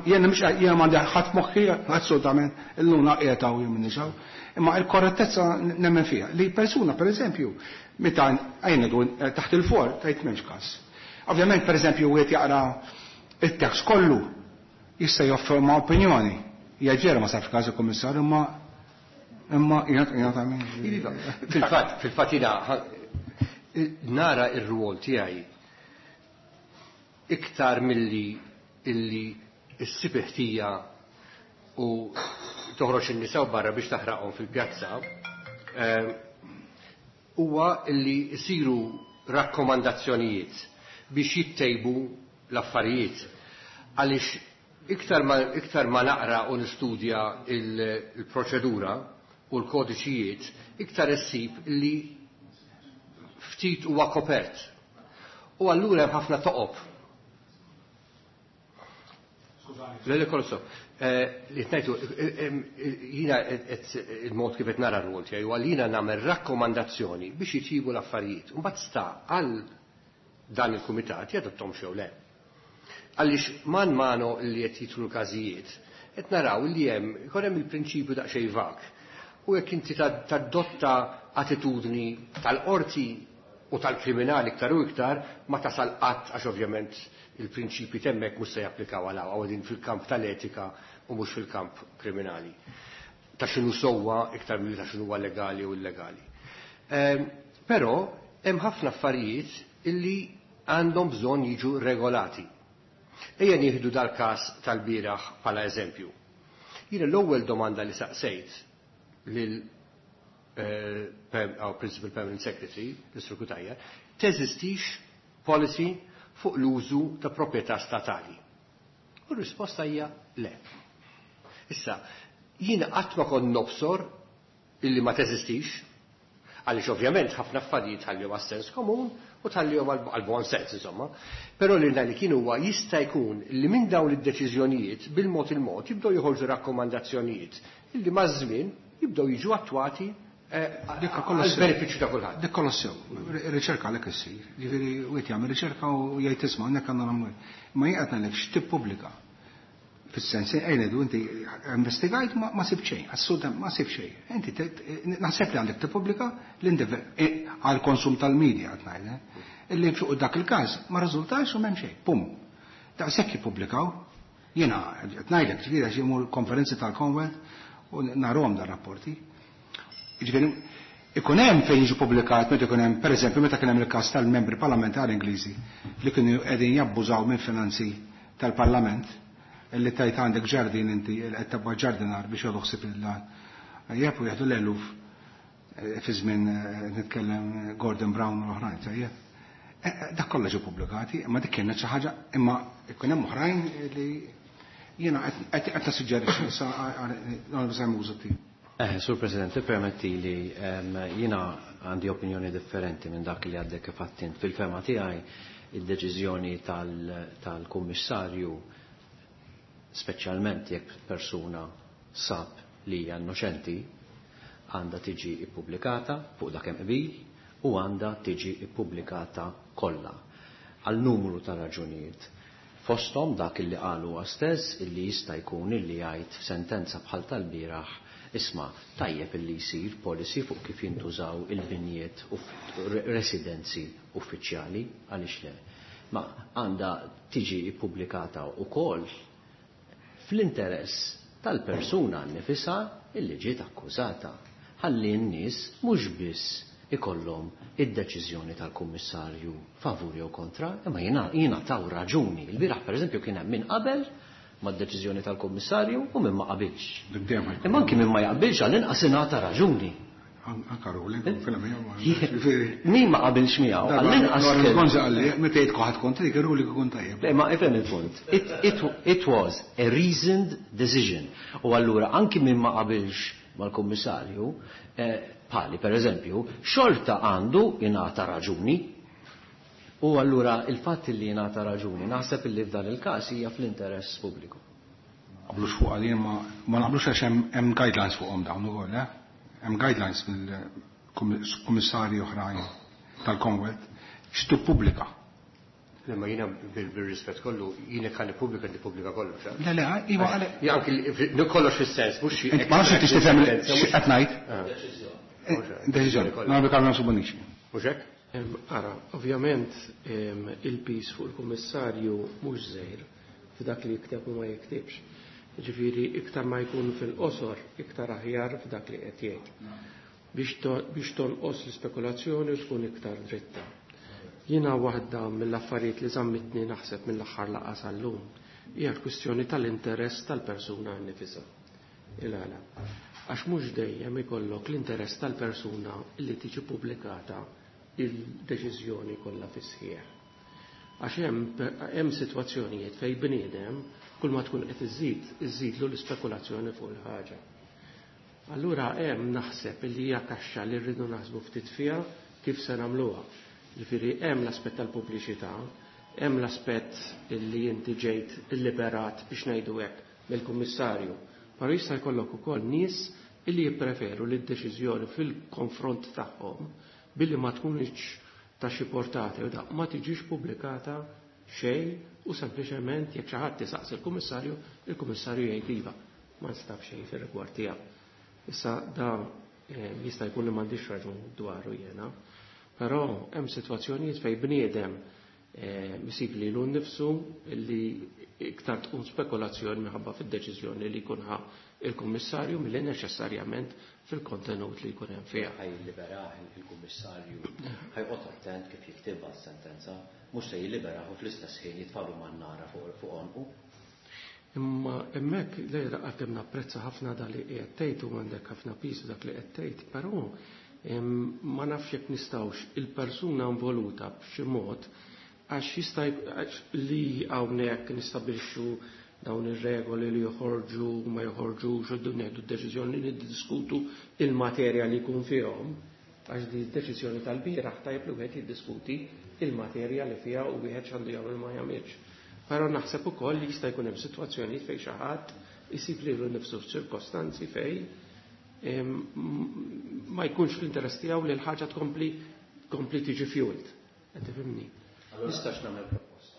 jiena mhux jiena m'għandi ħadd moħħi assolutament illuna qiegħed hawn jien minni xaw. Imma il-korrettezza nemmen fiha li persuna pereżempju meta għajna taħt il-for tajt m'hemmx każ. Ovvjament pereżempju wieħed jaqra it-tekst kollu jista' joffri opinjoni. Jgħid vera ma sarx każ il-kummissarju imma imma jgħid Iva, fil-fatt jiena nara ir-rwol tiegħi iktar milli illi ssib ħtija u toħroġ in-nisa barra biex taħraqhom fil-pjazza, huwa illi jsiru rakkomandazzjonijiet biex jittejbu l-affarijiet. Għaliex iktar ma naqra u nistudja il-proċedura u l-kodiċijiet, iktar issib li ftit huwa kopert. U allura hemm ħafna toqob. Le, le, kollu so. Li tnajtu, jina il-mod kif qed nara r-rwol tiegħi huwa li jiena nagħmel rakkomandazzjoni biex jitjibu l-affarijiet. Mbagħad sta għal dan il-kumitat jadottom xew le. Għaliex man mano li qed jitlu l-każijiet, qed naraw li hemm ikun hemm il-prinċipju daqsxejn vag. U jekk inti tadotta attitudni tal-qorti u tal-kriminali iktar u iktar ma tasal qatt, għax ovvjament il-prinċipi temmek mhux se japplikaw għal hawn, fil-kamp tal-etika u mhux fil-kamp kriminali. Ta' x'inhu sewwa iktar milli ta' x'inhu legali u illegali. Però hemm ħafna affarijiet illi għandhom bżonn jiġu regolati. Ejja nieħdu dal-każ tal-bieraħ bħala eżempju. Jiena l-ewwel domanda li saqsejt lil our Principal Permanent Secretary, l-Sur Cutajar, teżistix policy fuq l-użu ta' proprjetà statali. U r-risposta hija le. Issa, jiena qatt ma kont nobsor illi ma teżistix, għaliex ovvjament ħafna affarijiet tħallihom għas-sens komun u tħallihom għal bon sens, insomma. Però li li kien huwa jista' jkun li minn dawn id-deċiżjonijiet bil-mod il-mod jibdew joħorġu rakkomandazzjonijiet illi maż-żmien jibdew jiġu attwati għal-benefiċċju ta' kulħadd. Dik kollox sew, riċerka għalhekk issir. Ġifieri wieħed jagħmel riċerka u jgħid isma' hawnhekk għandna nagħmlu. Ma jien qed ngħidlek x'tippubblika. Fis-sens ngħidu inti investigajt ma sib xejn, assolutament ma sib xejn. Inti naħseb li għandek tippubblika għal konsum tal-medja qed ngħid, illi fuq dak il-każ ma riżultax u m'hemm xejn. Pum. Daqshekk jippubblikaw. Jiena qed ngħidlek, ġifieri għax imur konferenzi tal-Commonwealth u narahom dar rapporti. Ġifieri ikun hemm fejn jiġu pubblikat meta ikun hemm, pereżempju, meta kien hemm il-każ tal-membri parlamentari Ingliżi li kienu qegħdin jabbużaw minn finanzi tal-Parlament, illi tajt għandek ġardin inti qed tabba ġardinar biex jieħdu ħsieb il u jieħdu l-eluf fi żmien nitkellem Gordon Brown u l-oħrajn, tajjeb. Dak kollha ġew pubblikati, imma dik kienet xi ħaġa, imma ikun hemm oħrajn li jiena qed nissuġġerixxi sa Simon. Sur President, permetti li jiena għandi opinjoni differenti minn dak li għaddek kif għedt. Fil-fehma tiegħi, id-deċiżjoni tal-Kummissarju, speċjalment jekk persuna sab li hija innoċenti, għandha tiġi ippubblikata fuq dak hemm qbil u għandha tiġi ippubblikata kollha għal numru ta' raġunijiet. Fosthom dak illi qalu stess, illi jista' jkun illi jgħid f'sentenza bħal tal-bieraħ, isma', tajjeb illi jsir policy fuq kif jintużaw il-binjiet u residenzi uffiċjali, għaliex le. Ma għandha tiġi ippubblikata wkoll fl-interess tal-persuna nifisha illi ġiet akkużata. Ħalli n-nies mhux biss ikollhom id-deċiżjoni tal-kummissarju favur jew kontra, imma jingħataw raġuni. Il-bieraħ, pereżempju, kien hemm min qabel mad-deċiżjoni tal-kummissarju u min ma qabilx. Imma anki min ma jaqbilx, għall-inqas ingħata raġuni. Anka ruling, Min ma qabilx miegħu, għall-inqas. Gonza qalli, meta jgħid ħadd kontrik, ruling ikun tajjeb. Le, ma ifhem il-punt. It was a reasoned decision. U allura anki min ma qabilx mal-kummissarju, bħali per eżempju, xorta għandu jingħata raġuni. U allura il-fatt li jingħata raġuni, naħseb li f'dan il-każ hija fl-interess pubbliku. Qablux fuq għalin ma naqblux għax hemm guidelines fuqhom dawn ukoll, eh? Hemm guidelines mill-kummissarji oħrajn tal-Commonwealth x'tippubblika. Le, ma jiena bil-rispett kollu, jiena kan nippubblika, nippubblika kollox. Le, iva għale. Ja, anki kollox fis-sens, mhux Ma nafx tix tifhem x'qed ngħid. Deċiżjoni. Nagħmel Carlo Bonnici. Mhux hekk? Ara, ovvjament il-piż fuq il-kummissarju mhux żgħir f'dak li jikteb u ma jiktibx. Ġifieri iktar ma jkun fil-qosor, iktar aħjar f'dak li qed jgħid. Biex tonqos l-ispekulazzjoni u tkun iktar dritta. Jiena waħda mill-affarijiet li żammitni naħseb mill-aħħar laqgħa sal-lum hija l-kwistjoni tal-interess tal-persuna nnifisha. Il-għala. Għax mhux dejjem ikollok l-interess tal-persuna li tiġi pubblikata il-deċiżjoni kollha fis-sħiħ. Għax hemm sitwazzjonijiet fejn bniedem kull ma tkun qed iżid, iżidlu l-ispekulazzjoni fuq il-ħaġa. Allura hemm naħseb li hija kaxxa li rridu naħsbu ftit fiha kif se nagħmluha. Ġifieri hemm l-aspett tal-pubbliċità, hemm l-aspett li inti ġejt illiberat, biex ngħidu hekk, mill-kummissarju. Però jista' jkollok ukoll nies illi jippreferu li d-deċiżjoni fil-konfront tagħhom billi ma tkunx ta' xi portata u da ma tiġix pubblikata xejn u sempliċement jekk xi ħadd isaqsi il-kummissarju, il-kummissarju jgħid iva, ma nstab xejn fir-rigward tiegħu. Issa da jista' jkun li m'għandix raġun dwaru jiena. Però hemm sitwazzjonijiet fejn bniedem isib lilu nnifsu li iktar tkun spekulazzjoni minħabba fid-deċiżjoni li jkun ħa il-kummissarju milli neċessarjament fil-kontenut li jkun hemm fiha. Ħa jilliberah il-kummissarju, ħa joqgħod attent kif jiktibha s-sentenza, mhux se jilliberah u fl-istess ħin jitfagħlu man-nara fuq għonqu. Imma hemmhekk lejra għalkemm napprezza ħafna dak li qiegħed tgħid u għandek ħafna piż dak li qed tgħid, però ma nafx jekk nistgħux il-persuna involuta b'xi mod għax jista' li hawnhekk nistabbilixxu dawn ir-regoli li joħorġu u ma joħorġux u nieħdu d-deċiżjoni li niddiskutu il-materja li jkun fihom, għax di d-deċiżjoni tal-bieraħ tajjeb li wieħed jiddiskuti il-materja li fiha u wieħed x'għandu jagħmel ma jagħmilx. Però naħseb ukoll li jista' jkun hemm sitwazzjonijiet fejn xi ħadd isib lilu nnifsu f'ċirkostanzi fejn ma jkunx fl-interess tiegħu li l-ħaġa tkompli tiġi fueled. Qed tifhimni? Nistax nagħmel proposta.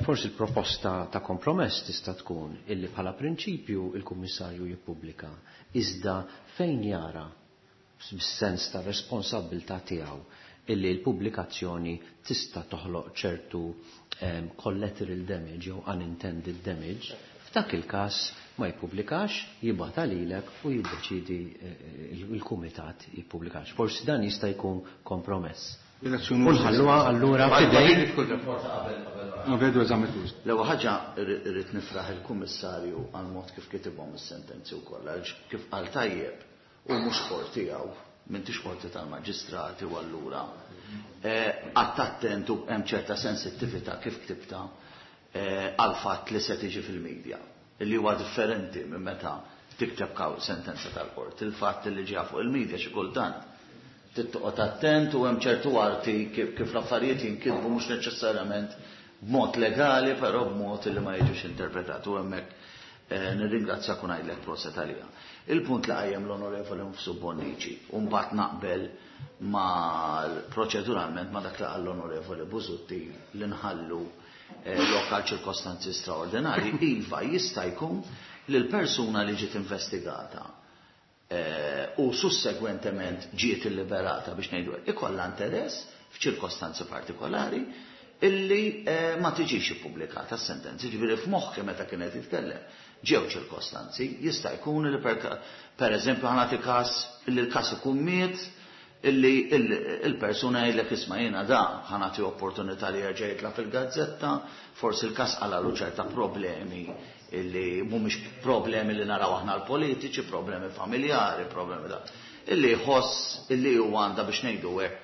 Forsi l-proposta ta' kompromess tista' tkun illi bħala prinċipju il-Kummissarju jippubblika iżda fejn jara bis-sens ta' responsabbiltà tiegħu illi l-pubblikazzjoni tista' toħloq ċertu collateral damage jew unintended damage, f'dak il-każ ma jippubblikax, jibgħatha lilek u jiddeċidi il-kumitat jippubblikax. Forsi dan jista' jkun kompromess. U nħalluha allura f'idejn. L-ewwel ħaġa irrid nifraħ il-Kummissarju għal mod kif kitibhom is-sentenzi wkoll, għaliex kif qal tajjeb u mhux qorti tiegħu, m'intix qorti tal-maġistrati u allura qatt attent u hemm ċerta sensittività kif ktibta għal fatt li se tiġi fil-medja, li huwa differenti minn meta tikteb sentenza tal-qorti. Il-fatt li ġeja fuq il-medja xi kultant tittoqgħod attent u hemm ċertu arti kif l-affarijiet jinkitbu mhux neċessarjament b'mod legali, però b'mod li ma jiġux interpretat. U hemmhekk nirringrazzjak u ngħidlek proset għalija. Il-punt li qajjem l-Onorevoli Mifsud Bonnici, u mbagħad naqbel mal proċeduralment ma dak li qal l-Onorevoli Busuttil li nħallu lokal ċirkostanzi straordinari, iva jista' jkun li l-persuna li ġiet investigata u sussegwentement ġiet illiberata biex ngħidu ikollha interess f'ċirkostanzi partikolari illi ma tiġix ippubblikata s-sentenzi. Ġifieri f'moħħi meta kienet jitkellem ġew ċirkostanzi, jista' jkun li per eżempju ħa nagħti każ illi l-każ ikun miet, illi il-persuna jgħidlek isma' jiena da ħa nagħti opportunità li jerġa' jitla' fil-gazzetta, forsi l-każ qalalu ċerta problemi illi mhumiex problemi li naraw aħna l-politiċi, problemi familjari, problemi da. Illi jħoss illi huwa għandha biex ngħidu hekk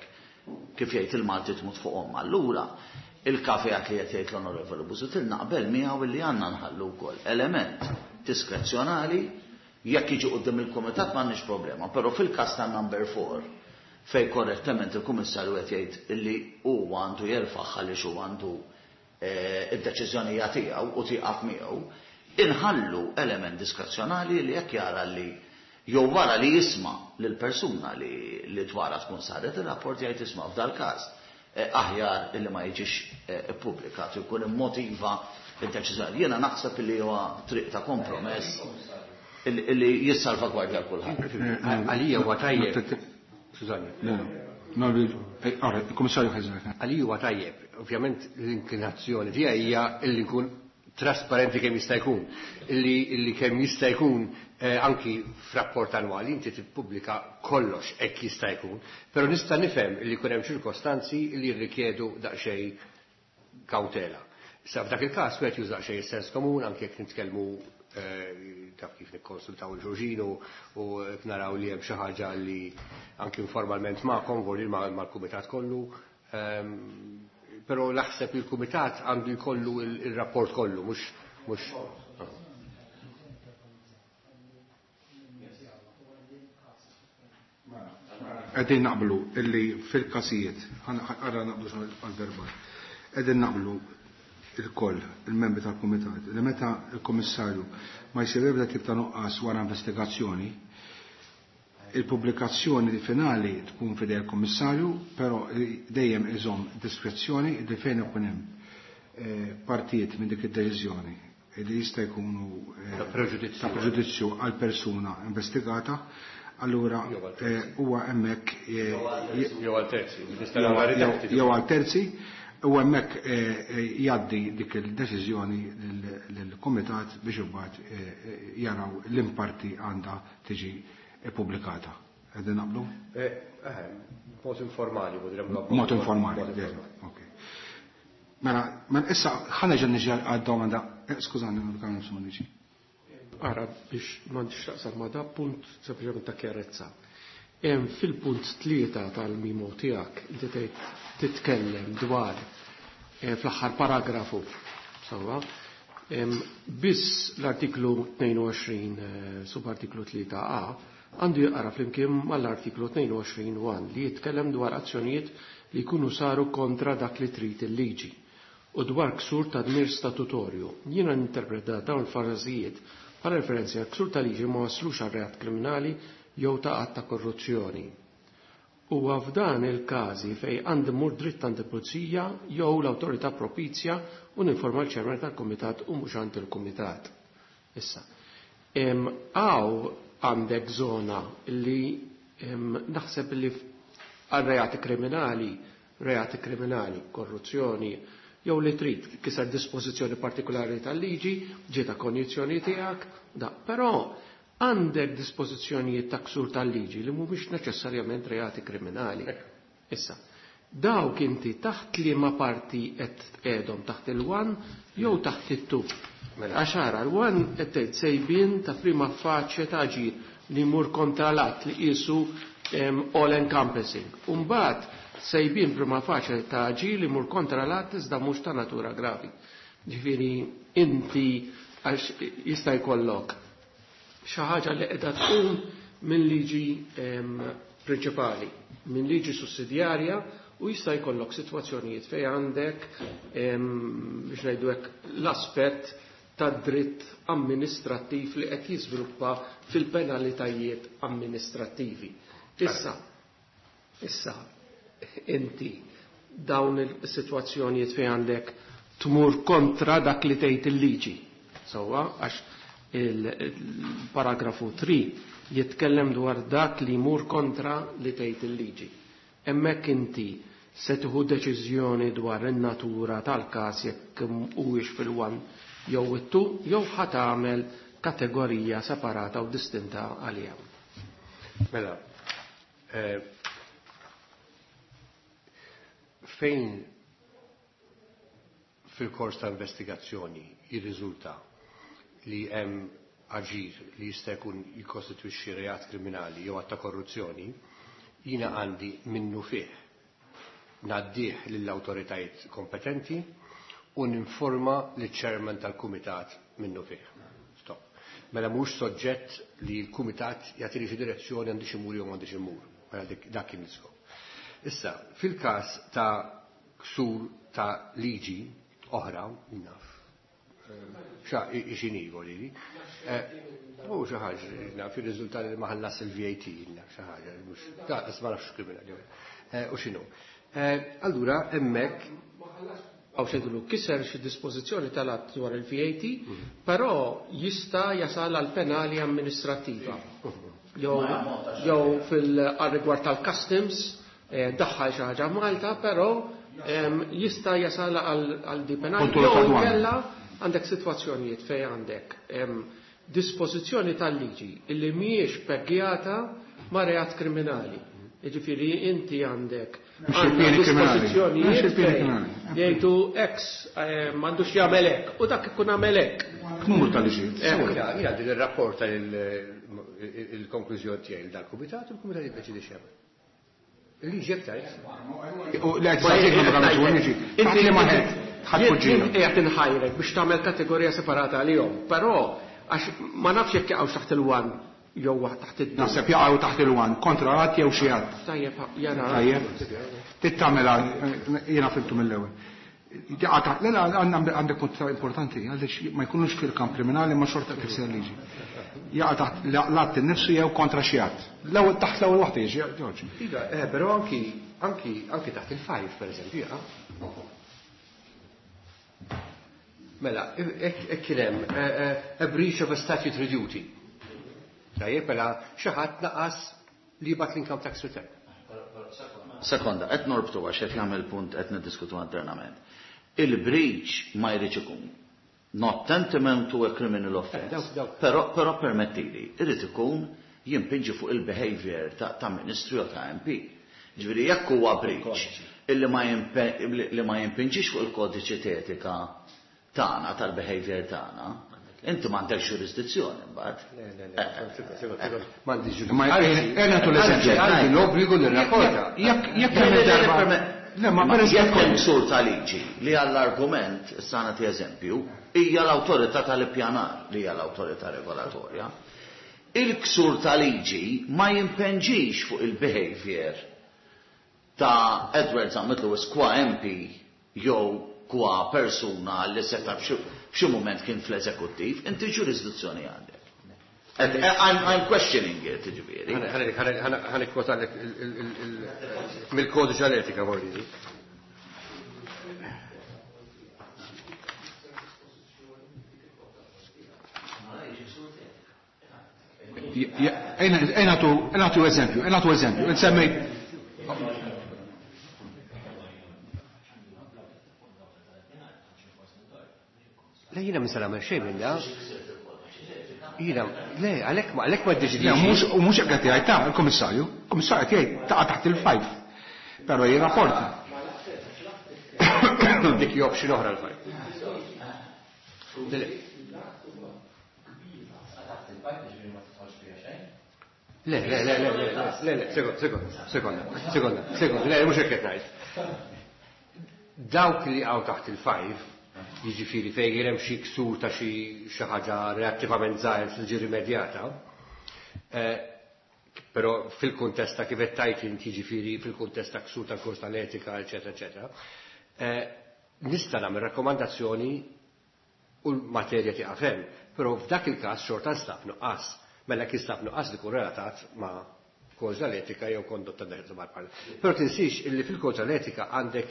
kif jgħid il-Malti tmut fuqhom. Allura il-kafejat li qed jgħid l-Onorevoli Busuttil naqbel miegħu illi għandna nħallu wkoll element diskrezzjonali jekk jiġi quddiem il-kumitat m'għandniex problema, però fil-każ ta' number 4 fej korrettament il-Kummissarju qed jgħid illi huwa għandu jerfaħ għaliex huwa għandu id-deċiżjoni tiegħu u tieqaf miegħu, inħallu element diskrezzjonali li jekk jara li jew wara li jisma' lil persuna li dwarha tkun saret ir-rapport jgħid isma' f'dal-każ aħjar illi ma jiġix ippubblikat u jkun immotiva id-deċiżjoni. Jiena naħseb li huwa triq ta' kompromess illi jissalvagwardja kulħadd. Għalija huwa tajjeb. Skużani. Il-Kummissarju ħeżek. Għalija huwa tajjeb. Ovvjament l-inklinazzjoni tiegħi hija illi nkun trasparenti kemm jista' jkun, illi kemm jista' jkun anki f'rapport annwali inti tippubblika kollox hekk jista' jkun, però nista' nifhem illi jkun hemm ċirkostanzi li jirrikjedu daqsxejn kawtela. Issa f'dak il-każ wieħed juża daqsxejn is-sens komun anke jekk nitkellmu taf kif nikkonsultaw il-ġurġinu u naraw li hemm xi ħaġa li anki informalment magħkom vorri mal-kumitat kollu. Però naħseb il-kumitat għandu jkollu il-rapport kollu, mhux. Qegħdin naqblu illi fil-każijiet, għarra naqblu għal-verbal, qegħdin naqblu il-koll, il-membri tal-kumitat, li meta il-kummissarju ma jsir ebda tip ta' nuqqas wara investigazzjoni, il-pubblikazzjoni finali tkun fidej il-kummissarju, però dejjem iżomm diskrezzjoni li fejn ikun hemm partijiet minn dik id-deċiżjoni li jista' jkunu Ta' preġudizzju. ta' preġudizzju għal persuna investigata, Allura huwa hemmhekk jew għal terzi. Jew għal terzi u hemmhekk jgħaddi dik il-deċiżjoni lill-kumitat biex imbagħad jaraw l-imparti għandha tiġi ippubblikata. Qegħdin naqblu? Mod informali, Mod informali. Ok. Mela, issa ħa nerġa' niġi għad-domanda. Skużani, non niġi. Ara, biex m'għandix taqsam ma' da punt sempliċement ta' chiarezza. Fil-punt 3 tal-memo tiegħek inti tgħid titkellem dwar fl-aħħar paragrafu, sewwa, biss l-artiklu 22 subartiklu 3a għandu jaqra flimkien mal-artiklu 22-1 li jitkellem dwar azzjonijiet li jkunu saru kontra dak li trid il-liġi u dwar ksur ta' dmir statutorju. Jiena ninterpreta dawn il-frażijiet bħala referenzi għal ksur ta' liġi ma waslux għal reat kriminali jew ta' att ta' korruzzjoni. U f'dan il-każi fej għandi mmur dritt għand il-pulizija jew l-awtorità propizja u ninforma l-ċermen tal-kumitat u mhux għand il-kumitat. Issa, għaw għandek zona li naħseb li għal reati kriminali, reati kriminali, korruzzjoni, jew li trid kiser dispożizzjoni partikolari tal-liġi, ġieta konjizzjoni tiegħek, da, però għandek dispożizzjonijiet ta' ksur tal-liġi li mhumiex neċessarjament reati kriminali. Issa, dawk inti taħt liema parti qed tqegħdhom, taħt il-1 jew taħt it-2. Għax ara, l-1 qed tgħid sejbien ta' prima facie ta' ġir li jmur kontra l-att li qisu all encompassing. Umbagħad sejbien prima facie ta' ġir li jmur kontra l-att iżda mhux ta' natura gravi. Ġifieri inti għax jista' jkollok xi ħaġa li qiegħda tqum minn liġi prinċipali, minn liġi sussidjarja, u jista' jkollok sitwazzjonijiet fejn għandek biex ngħidu hekk l-aspett ta' dritt amministrattiv li qed jiżviluppa fil-penalitajiet amministrattivi. Issa inti dawn il-sitwazzjonijiet fejn għandek tmur kontra dak li tgħid il-liġi. Sewwa, għax il-paragrafu 3 jitkellem dwar dak li jmur kontra li tgħid il-liġi. Hemmhekk inti se tieħu deċiżjoni dwar in-natura tal-każ jekk huwiex fil-1 jew it-2 jew ħa tagħmel kategorija separata u distinta għaliha. Mela, fejn fil-kors ta' investigazzjoni jirriżulta li hemm aġir li jista' jkun jikkostitwixxi reat kriminali jew att ta' korruzzjoni, jiena għandi minnu fih ngħaddih lill-awtoritajiet kompetenti u ninforma liċ-chairman tal-kumitat minnu fih. Stop. Mela mhux soġġett li l-kumitat jagħtini xi direzzjoni għandi xi mur jew m'għandix imur. Mela dak kien l-iskop. Issa, fil-każ ta' ksur ta' liġi oħra, naf, xa xini volili. U xi ħaġa, naf, ir-riżultat li ma ħallas il-VAT, naf xi ħaġa, mhux, da, ma nafx kriminali. U x'inhu. Allura, hemmhekk Għaw xedulu kiser xi dispożizzjoni tal-att dwar il-VAT, però jista' jasal għal penali amministrattiva. Jew fil-rigward tal-customs, daħħal xi ħaġa Malta, però jista' jasal għal di penali. Kontroll Jew tad-dwana. inkella għandek sitwazzjonijiet fejn għandek dispożizzjoni tal-liġi illi mhijiex peggjata ma' reat kriminali. Jiġifieri inti għandek Mhux il-pieni kriminali. dispożizzjonijiet Mhux il-pieni fejn kriminali. jgħidu ex m'għandux jagħmel hekk u dak ikun għamel hekk. Numru ta' liġijiet. Jina din ir-rapport il-konklużjoni tiegħi dal-kumitat u l-kumitat jiddeċidi x'jagħmel. Il-liġi jekk tgħid. U le, qed tgħid ma tagħmilx u liġi. Taħt li ma ħed, ħadd poġġina. Jien qiegħed inħajrek biex tagħmel kategorija separata għalihom, però għax ma nafx jekk jaqgħux taħt il-1 jew taħt id-due. Naħseb jaqgħu taħt il-1, kontra għad jew xi għad. Tajjeb, jara. Tajjeb. Tittamela, jiena fimtu mill-ewwel. Jaqa' taħt, le, le, għandek punt importanti, għaliex ma jkunux fil-kamp kriminali ma xorta tikser liġi. Jaqa' taħt l-att innifsu jew kontra xi att. L-ewwel taħt l-ewwel waħda jiġi, Ġorġ. Iva, però anki taħt il-5, per eżempju, jaqa'. Mela, hekk kien hemm a breach of a statutory duty. Tajjeb, mela xi ħadd naqas li jibgħat l-income tax return. Sekonda, qed norbtu għax qed jagħmel punt qed niddiskutu internament. Il-breach ma jridx ikun not tantamount to a criminal offense. Però permettili, irid ikun jimpinġi fuq il-behavior ta' ministru jew ta' MP. Ġifieri jekk huwa breach illi ma jimpinġix fuq il-kodiċi etika tagħna tal-behavior tagħna, inti m'għandekx ġurisdizzjoni mbagħad. Le, le, le, m'għandix ġurisdizzjoni. Għandi l-obbligu nirrapporta. Jekk hemm darba. Le, ma jekk hemm ksur ta' liġi li għall-argument, issa nagħti eżempju, hija l-awtorità tal-ippjanar li hija l-awtorità regolatorja. Il-ksur ta' liġi ma jimpenġix fuq il-behavior ta' Edward Zammit Lewis qua MP jew qua persuna li seta' f'xi mument kien fl-eżekuttiv, inti ġurisdizzjoni għandek. I'm questioning it, ġifieri. Ħa nikkwotalek mill-kodiċi tal-etika, vorridi. Ejna eżempju, ejna eżempju, insemmejt. Le, jiena minn nagħmel xejn minna. Jiena, le, għalhekk ma għalhekk ma ddeċidix. U mhux hekk qed jgħid ta' il-Kummissarju. Il-Kummissarju qed jgħid taqa' taħt il-five. Però jirrapporta. Dik hi option oħra l-five. Le, le, le, le, le, le, le, sekonda, sekonda, sekonda, sekonda, le, mhux hekk qed ngħid. Dawk li għaw taħt il-five, jiġifieri fejn hemm xi ksur ta' xi ħaġa relattivament żgħir li ġi rimedjata, però fil-kuntest ta' kif qed tgħid inti, jiġifieri fil-kuntest ta' ksur tal-kors tal-etika, eċetera, eċetera, nista' nagħmel rakkomandazzjoni u l-materja tieqaf hemm, però f'dak il-każ xorta nstab nuqqas. Mela kien stab nuqqas li kun relatat ma' kodiċi tal-etika jew kondotta mal-parlament. Però tinsix illi fil-kodiċi tal-etika għandek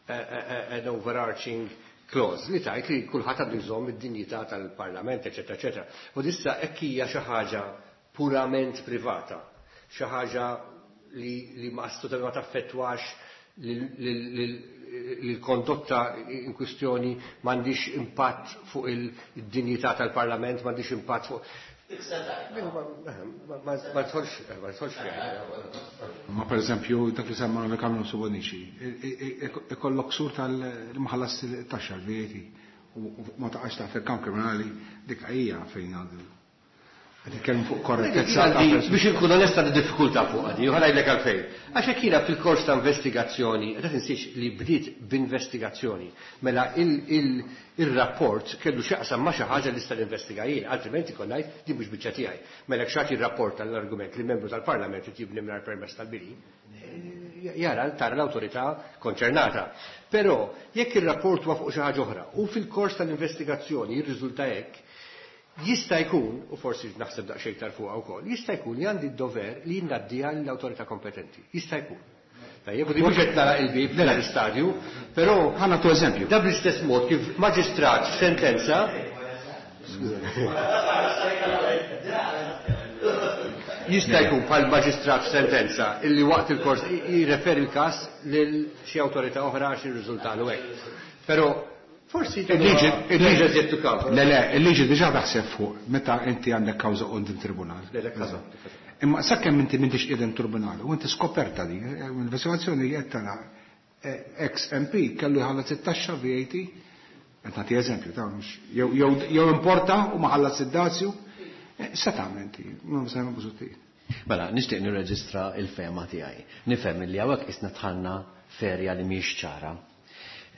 an overarching clause li tajt li kulħadd għandu jżomm id-dinjità tal-parlament, eċetera, eċetera. U dissa hekk hija xi ħaġa purament privata, xi ħaġa li ma assolutament ma taffettwax l-kondotta in kwistjoni, m'għandix impatt fuq il-dinjità tal-parlament, m'għandix impatt fuq. Ma tħolx fiha. Ma per eżempju, dak li semma l-Kamra Subonici, ikollok ksur tal-maħallas taxxa l-VAT u ma taqax taħt il-kamp kriminali, dik hija fejn għandu. Qed nitkellmu fuq korrettezza. Biex inkun onesta di diffikultà fuq għadi, u ħanajdlek għalfejn. Għax hekk jiena fil-kors ta' investigazzjoni, qed tinsiex li bdiet b'investigazzjoni, mela il-rapport kellu x'jaqsam ma' xi ħaġa li sta ninvestiga jien, altrimenti kont ngħid din mhux biċċa tiegħi. Mela jekk xi rapport tal-argument li membru tal-Parlament qed jibni mingħajr permess tal-bini, jara tara l-awtorità konċernata. Però jekk ir-rapport huwa fuq xi ħaġa oħra u fil-kors tal-investigazzjoni jirriżulta hekk, jista' jkun, u forsi naħseb daqsxejn iktar fuqha wkoll, jista' jkun li għandi d-dover li ngħaddiha lill-awtorità kompetenti. Jista' jkun. Tajjeb, u di mhux qed nara il-bib l-istadju, però ħa nagħtu eżempju. Da bl-istess mod kif maġistrat f'sentenza jista' jkun bħal maġistrat f'sentenza illi waqt il-kors jirreferi l-każ lil xi awtorità oħra għax irriżultalu hekk. Però forsi Il-liġi żied tu kawża. Le, le, il-liġi diġà taħseb fuq meta inti għandek kawża quddiem tribunal. Le, le, kawża. Imma sakemm inti m'intix qiegħed tribunal u inti skoperta din, l-investigazzjoni qed tara ex MP kellu jħallas it-taxxa VAT, qed nagħti eżempju ta' mhux jew importa u ma ħallas id-dazju, se tagħmel inti, ma se nagħmel Busuttil. Mela, nixtieq nirreġistra il-fehma tiegħi. Nifhem li hawnhekk isna dħalna ferja li mhijiex ċara.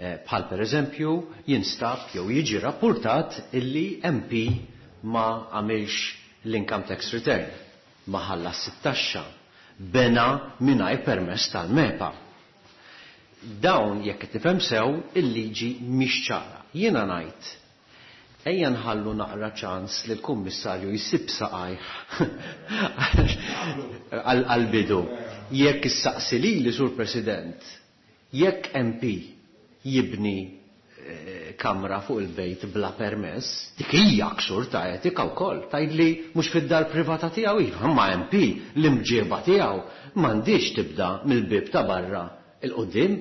Bħal per eżempju jinstab jew jiġi rapportat illi MP ma għamilx l-income tax return, ma ħallas it-taxxa, bena mingħajr permess tal-MEPA. Dawn jekk qed tifhem sew il-liġi mhix ċara. Jiena ngħid ejja nħallu naqra ċans li l-kummissarju jsib saqajh għal-bidu. Jekk issaqsi lili, Sur President, jekk MP jibni Kamra fuq il-bejt bla permess, dik hija ksur ta' etika wkoll. Tgħidli mhux fid-dar privata tiegħu, iva, imma MP l-imġieba tiegħu m'għandhiex tibda mill-bieb ta' barra 'l quddiem.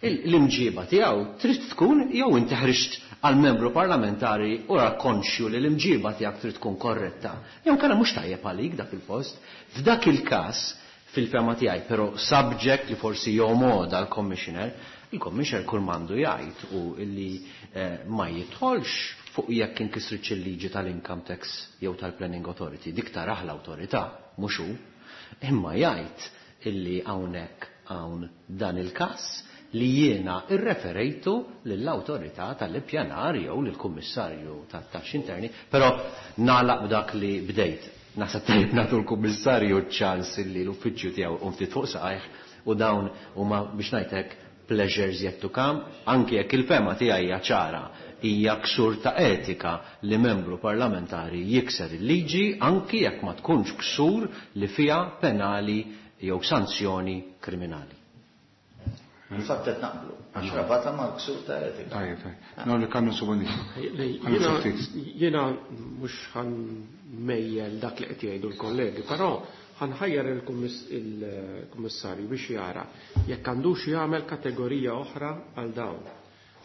L-imġieba tiegħu trid tkun jew inti ħriġt għal membru parlamentari u ra konxju li l-imġieba tiegħek trid tkun korretta, jew inkella mhux tajjeb għalik dak il-post. F'dak il-każ, fil-fehma tiegħi, però subject li forsi jomgħodha l-Commissioner, il-Commissioner kull m'għandu jgħid hu li ma jidħolx fuq jekk inkisritx il-liġi tal-income tax jew tal-Planning Authority, dik tarah l-awtorità, mhux hu. Imma jgħid illi hawnhekk hawn dan il-każ li jiena rreferejtu lill-awtorità tal-ippjanar jew lill-Kummissarju tat-Taxxi Interni, però nagħlaq b'dak li bdejt. Naħseb tajjeb nagħtu l-Kummissarju ċ-ċans illi l-uffiċċju tiegħu jqum ftit fuq saqajh u dawn huma biex ngħid hekk pleasures yet to come, anki jekk il-fehma tiegħi hija ċara, hija ksur ta' etika li membru parlamentari jikser il-liġi anki jekk ma tkunx ksur li fiha penali jew sanzjoni kriminali. Infatti qed naqblu, għax rabata mal-ksur ta' etika. Tajjeb, tajjeb. No, li kannu subonixu. Jiena mhux ħanmejjel dak li qed jgħidu l-kollegi, però ħanħajjar il-kummissarju biex jara jekk għandux jagħmel kategorija oħra għal dawn.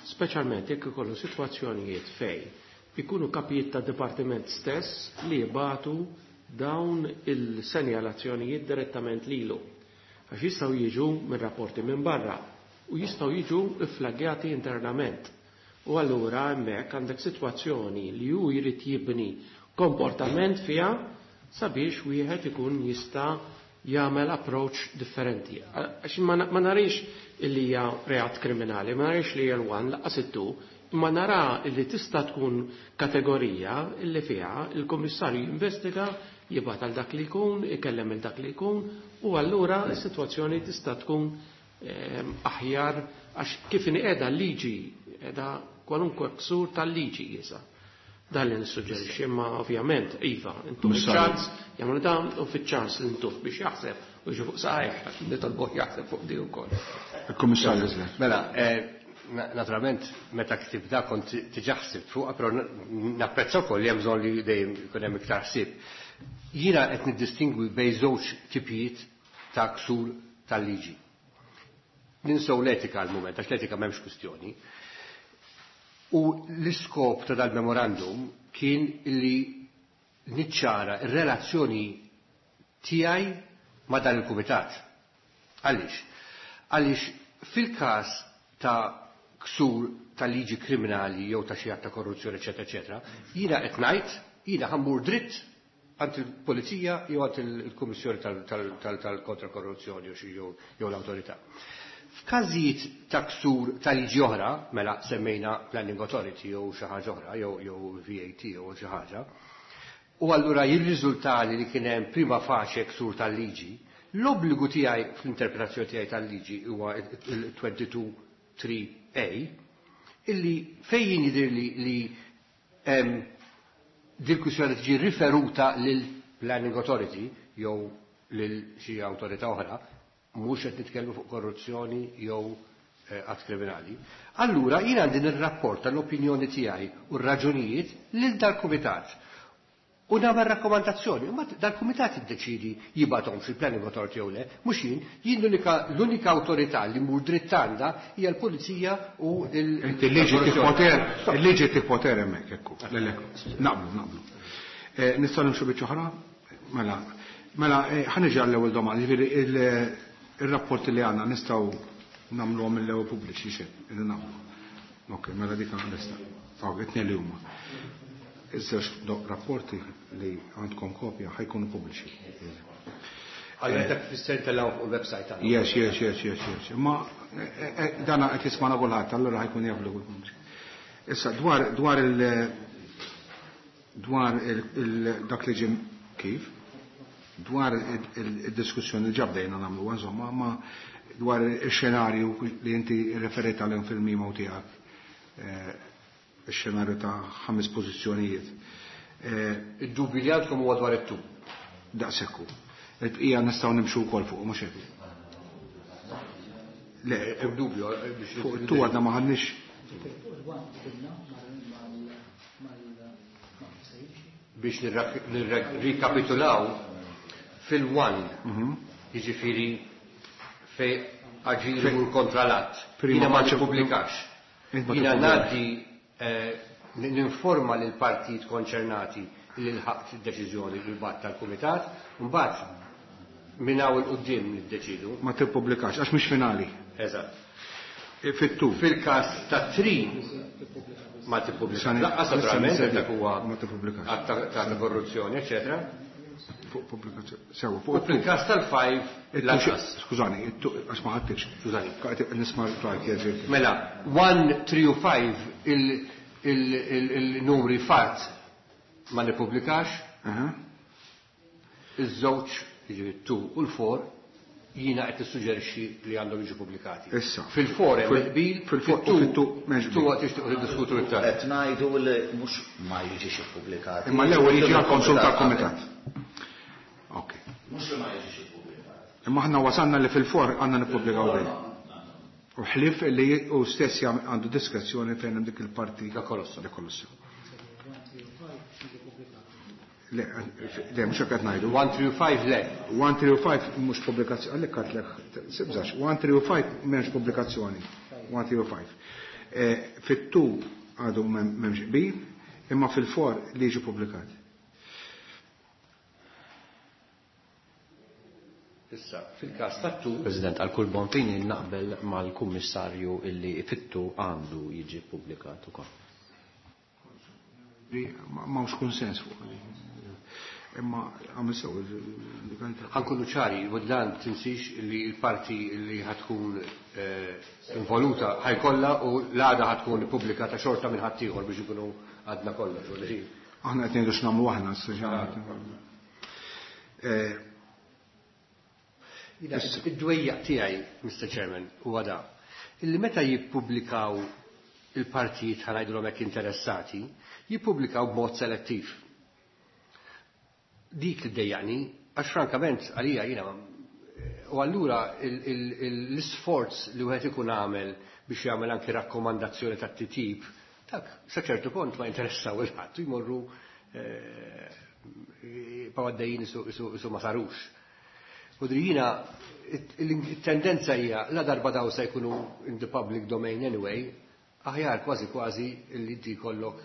Speċjalment jekk ikollu sitwazzjonijiet fejn ikunu kapijiet ta' dipartiment stess li jibatu dawn il-senjalazzjonijiet direttament lilu. Għax jistgħu jiġu minn rapporti minn barra u jistgħu jiġu ifflagjati internament. U allura hemmhekk għandek sitwazzjoni li hu jrid jibni komportament fiha sabiex wieħed ikun jista' jagħmel approach differenti. Għax ma narix illi hija reat kriminali, ma narix li hija l-one laqqas it-two, imma nara illi tista' tkun kategorija illi fiha il-kummissarju jinvestiga, jibgħat għal dak li jkun, ikellem il dak li jkun, u allura s-sitwazzjoni tista' tkun aħjar għax kif inhi qiegħda l-liġi, qiegħda kwalunkwe ksur tal-liġi issa. Dan li nissuġġerixxi, imma ovvjament, iva, intuh iċ-ċans jagħmlu dan u fiċ-ċans li ntuh biex jaħseb u jiġi fuq saqajh, nitolbuh jaħseb fuq di wkoll. Il-Kummissarju Zler. Mela, naturalment meta ktib da kont diġà ħsibt fuqha, però napprezza wkoll li hemm bżonn li dejjem ikun hemm iktar ħsieb. Jiena qed niddistingwi bejn żewġ tipijiet ta' ksur tal-liġi. Ninsew l-etika għal mument, għax l-etika m'hemmx kwistjoni. U l-iskop ta' dal-memorandum kien li niċċara r-relazzjoni tiegħi ma' dan il-kumitat. Għaliex? Għaliex fil-każ ta' ksur ta' liġi kriminali jew ta' xi att ta' korruzzjoni, eċetera, eċetera, jiena qed ngħid, jiena ħammur dritt għand il-pulizija jew għand il-Kummissjoni tal-kontra korruzzjoni jew l-awtorità. F'każijiet ta' ksur ta' liġi oħra, mela semmejna Planning Authority jew xi ħaġa oħra, jew VAT jew xi ħaġa, u allura jirriżultali li kien hemm prima facie ksur tal-liġi, l-obbligu tiegħi fl-interpretazzjoni tiegħi tal-liġi huwa il-22.3a, illi fejn jidhirli li hemm dil-kwistjoni tiġi riferuta lil Planning Authority jew lil xi awtorità oħra, mhux qed nitkellmu fuq korruzzjoni jew att kriminali. Allura jien għandi nirrapporta l-opinjoni tiegħi u r-raġunijiet lil dal-kumitat. U nagħmel rakkomandazzjoni, imma dal-kumitat jiddeċidi jibgħathom fil-Planning Authority jew le, mhux jien, jien l-unika awtorità li mmur dritt għandha hija l-pulizija u l- Inti l-liġi tippoter, il-liġi tippoter hemmhekk, ekku, le, le, naqblu, naqblu. Nistgħu nimxu biċċa oħra? Mela, mela, ħa niġi għall-ewwel domanda, jiġifieri il-rapporti li għandna nistgħu nagħmluhom mill-ewwel pubbliċi xejn, irridu nagħmlu. Ok, mela dik għandna. Ok, it-tnejn li huma. Iż-żewġ rapporti li għandkom kopja ħajkunu pubbliċi. Għalli dak fisser tellgħu fuq il-website tagħna. Yes, yes, yes, yes, yes. Ma dana qed jismana kulħadd, allura ħajkun jaf li kulħadd. Issa dwar il, dwar il, il, dak li ġim kif, dwar il-diskussjoni li ġabdejna nagħmlu, insomma, ma dwar il-xenarju li inti referejt għalihom fil-memo tiegħek, il-xenarju ta' 5 pożizzjonijiet. Id-dubju li għandkom huwa dwar it-tu. Daqshekk hu. Il-bqija nistgħu nimxu wkoll fuq, mhux hekk. Le, hemm dubju, biex fuq it-tu għadna ma ħadniex. Ġifieri fuq il-one qbilna mal ma' kif se jimxi. Biex nirrikapitulaw fil-one, jiġifieri fejn aġir imur kontra l-att. Jiena ma nippubblikax. Jiena ngħaddi ninforma lill-partijiet konċernati li lħaqt id-deċiżjoni li bgħatt tal-kumitat, mbagħad minn hawn 'il quddiem niddeċiedu. Ma tippubblikax għax mhix finali. Eżatt. Fit-two. Fil-każ tat-three ma tippubblikax lanqas naturalment għax dak huwa att ta' korruzzjoni, eċċetera. Fuq pubblikazzjoni. Sewa, fuq U fil-każ tal-five lanqas. Skużani, għax ma ħadtikx. Skużani. Qed nisma' l-klajt jgħid. Mela, 1, 3 u 5 il-numri fatt ma nippubblikax. Iż-żewġ, jiġifieri 2 u l-4, jiena qed nissuġġerixxi li għandhom jiġu pubblikati. Issa. Fil-4 hemm il-qbil, Fil-four u fit-two m'hemmx qbil. Two għad tixtiequ tiddiskutu iktar. Qed ngħidu li mhux ma jiġix ippubblikat. Imma l-ewwel jiġi għall-konsum tal-kumitat. Ok. Mhux li ma jiġix ippubblikat. Imma aħna wasalna li fil-4 għandna nippubblikaw dejjem. U ħlief li hu stess għandu diskrezzjoni fejn hemm dik il-parti. Da kolosso. Da kolosso. Le, le, mhux hekk qed ngħidu. 1, 3 u 5 le. 1, 3 u 5 mhux pubblikazzjoni, għalhekk għedtlek, sibżax, 1, 3 u 5 m'hemmx pubblikazzjoni. 1, 3 u 5. Fit-2 għadu m'hemmx qbil, imma fil-4 li jiġi pubblikat. Issa, fil-każ tat-two. President, għal kull bon fini naqbel mal-kummissarju illi fit-two għandu jiġi ppubblikat ukoll. M'hawnx kunsens fuq. Imma għamil sew il-legalità. Ħankunu ċari, u dan tinsix li l-parti li ħatkun involuta ħajkollha u l-għada ħatkun ippubblikata xorta minn ħaddieħor biex ikunu għadna kollox, u li Aħna qed ngħidu x'nagħmlu aħna, issa xi ħadd. Ida, id-dwejjaq tiegħi, Mister Chairman, huwa da. Illi meta jippubblikaw il-partijiet ħa ngħidulhom hekk interessati, jippubblikaw b'mod selettiv. Dik li ddejjaqni, għax frankament għalija jiena u allura l-isforz li wieħed ikun għamel biex jagħmel anki rakkomandazzjoni tat-titjib, dak sa ċertu punt ma jinteressaw il-ħadd, jmorru jibqgħu għaddejjin isu ma sarux. U jiena it-tendenza hija la darba daw se jkunu in the public domain anyway, aħjar kważi kważi li inti jkollok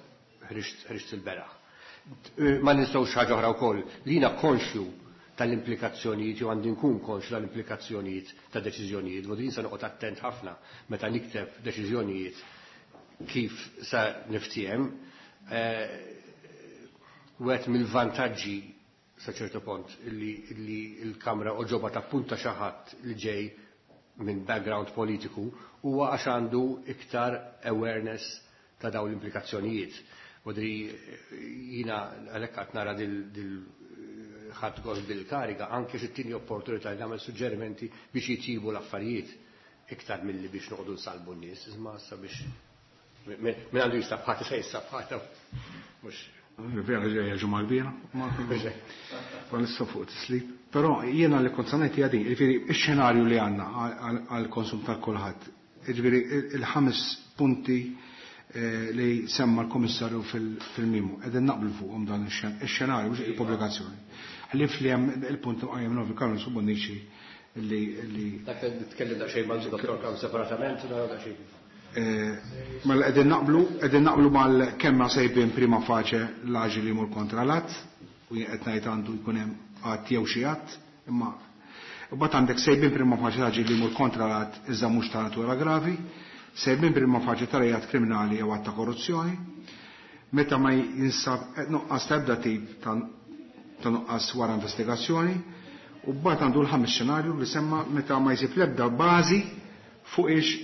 ħriġt il-beraħ. Ma nistgħux ħaġa oħra wkoll li jiena konxju tal-implikazzjonijiet, jew għandi nkun konxju tal-implikazzjonijiet ta' deċiżjonijiet, u din se noqgħod attent ħafna meta nikteb deċiżjonijiet kif sa niftiehem. Wieħed mill-vantaġġi sa ċertu punt li l-Kamra oġoba tappunta xi ħadd li ġej minn background politiku huwa għax għandu iktar awareness ta' dawn l-implikazzjonijiet. U dri jina għalhekk qed nara dil ħadd gost bil-kariga anke xi tieni opportunità li nagħmel suġġerimenti biex jitjibu l-affarijiet iktar milli biex noqogħdu nsalbu n-nies, imma issa biex min għandu jistabħata se jistabħata. Mhux Vera ġejja ġimgħa kbira, ma nista' fuq tislib. Però jiena li kont sanajt hija din, jiġifieri x-xenarju li għandna għall-konsum tal-kulħadd. Jiġifieri il-5 punti li semma l-Komissarju fil-mimu, qegħdin naqblu fuqhom dan ix-xenarju mhux il-pubblikazzjoni. Ħlief li hemm il-punt qajjem Novi Karol Subonnici li Dak li nitkellem daqsxejn mal-Dottor Kam separatament, naraw daqsxejn. Mela qegħdin naqblu, qegħdin naqblu mal kemm ma sejbin prima faċe l-aġir li jmur kontra l-att, u jien qed ngħid għandu jkun hemm att jew xi att, imma mbagħad għandek sejbin prima faċe l-aġir li jmur kontra l-att iżda mhux ta' natura gravi, sejbin prima faċe ta' reat kriminali jew att ta' korruzzjoni, meta ma jinsab nuqqas ta' ebda tip ta' nuqqas wara investigazzjoni, u mbagħad għandu l-ħames xenarju li semma meta ma jsib l-ebda bażi fuq ix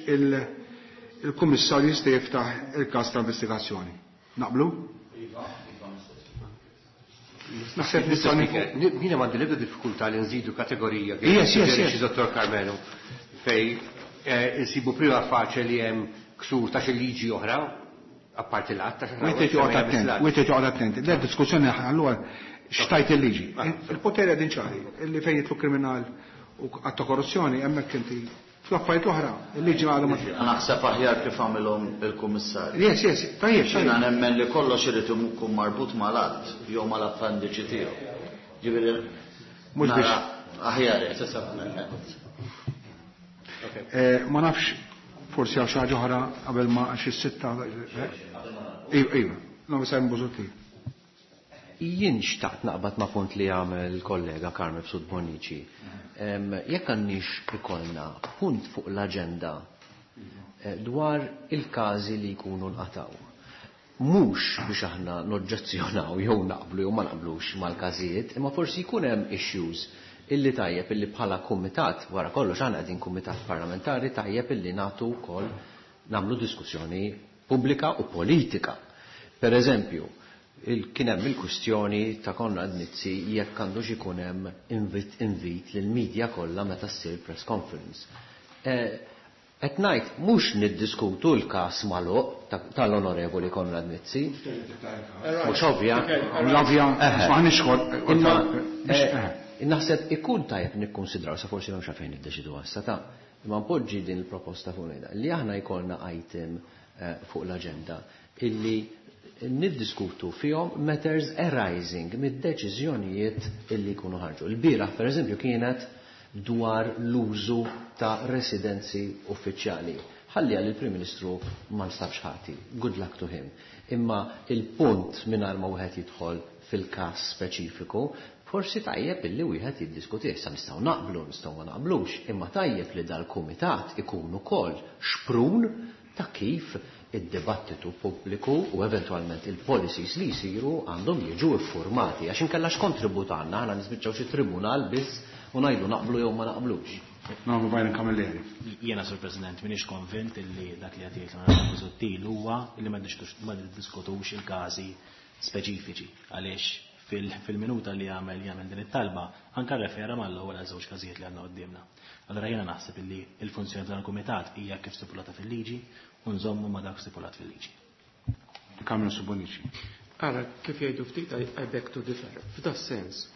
il-kummissarju jista' jiftaħ il-każ ta' investigazzjoni. Naqblu? Iva, iva, Naħseb nistgħu Speaker, jiena m'għandi l-ebda diffikultà li nżidu kategorija kif Yes, yes, suġġerixxi yes. Dottor Karmenu fej insibu prima faċe li hemm ksur ta' xi liġi oħra, apparti l-att ta' xi Wieħed ħaġa joqgħod oħra, attent, l-att. wieħed joqgħod attent. Le diskussjoni allura xtajt il-liġi. Il-poteri qegħdin ċari, illi fejn jitlu kriminal u att ta' korruzzjoni hemmhekk inti Fl-affarijiet oħra, il-liġi għadha ma Naħseb aħjar kif għamilhom il-Kummissarju. Yes, tajjeb. Jiena nemmen li kollox irid ikun marbut mal-att jew mal-appendiċi tiegħu. Ġifieri Mhux biex aħjar. Ma nafx forsi għal xi ħaġa oħra qabel ma xi sitta. Iva, iva, no Simon Busuttil. Jien xtaqt naqbad ma' punt li għamel kollega Carm Mifsud Bonnici. Jekk għandniex ikollna punt fuq l-aġenda dwar il-każi li jkunu nqataw. Mhux biex aħna noġġezzjonaw jew naqblu jew ma naqblux mal-każijiet, imma forsi jkun hemm issues illi tajjeb illi bħala kumitat, wara kollox aħna qegħdin kumitat parlamentari, tajjeb illi nagħtu wkoll nagħmlu diskussjoni pubblika u politika. Per eżempju, kien hemm il-kwistjoni ta' Konrad Mizzi jekk għandux ikun hemm invit lill-medja kollha meta ssir press conference. Qed ngħid mhux niddiskutu l-każ magħluq tal-Onorevoli Konrad Mizzi. Mhux ovvja. L-ovvja, maħniex kol. Imma naħseb ikun tajjeb nikkonsidraw, sa forsi m'hemmx għalfejn niddeċidu issa ta' imma npoġġi din il-proposta fuq ngħidha li aħna jkollna item fuq l-aġenda illi niddiskutu fihom matters arising mid-deċiżjonijiet illi jkunu ħarġu. Il-bieraħ, per eżempju, kienet dwar l-użu ta' residenzi uffiċjali. Ħalli għal il-Prim Ministru ma nstabx ħati. Good luck to him. Imma il-punt mingħajr ma wieħed jidħol fil-każ speċifiku, forsi tajjeb illi wieħed jiddiskuti. Issa nistgħu naqblu, nistgħu ma naqblux, imma tajjeb li dal-kumitat ikun ukoll xprun ta' kif id-dibattitu pubbliku u eventualment il-policies li jsiru għandhom jiġu iffurmati, għax inkella x'kontribut għandna, aħna nispiċċaw xi tribunal biss u ngħidu naqblu jew ma naqblux. Nagħmlu Byron Camilleri. Jiena, Sur President, m'iniex konvint illi dak li qed jgħid l-Onorevoli Busuttil huwa illi ma niddiskutux il-każi speċifiċi, għaliex fil-minuta li jagħmel din it-talba anke refera mal-ewwel għal żewġ każijiet li għandna quddiemna. Allora jiena naħseb illi l-funzjoni tal-kumitat hija kif stipulata fil-liġi u nżommu ma dak stipulat fil-liġi. Kamil Subonici. Ara, kif jgħidu ftit, I beg to differ. F'da sens,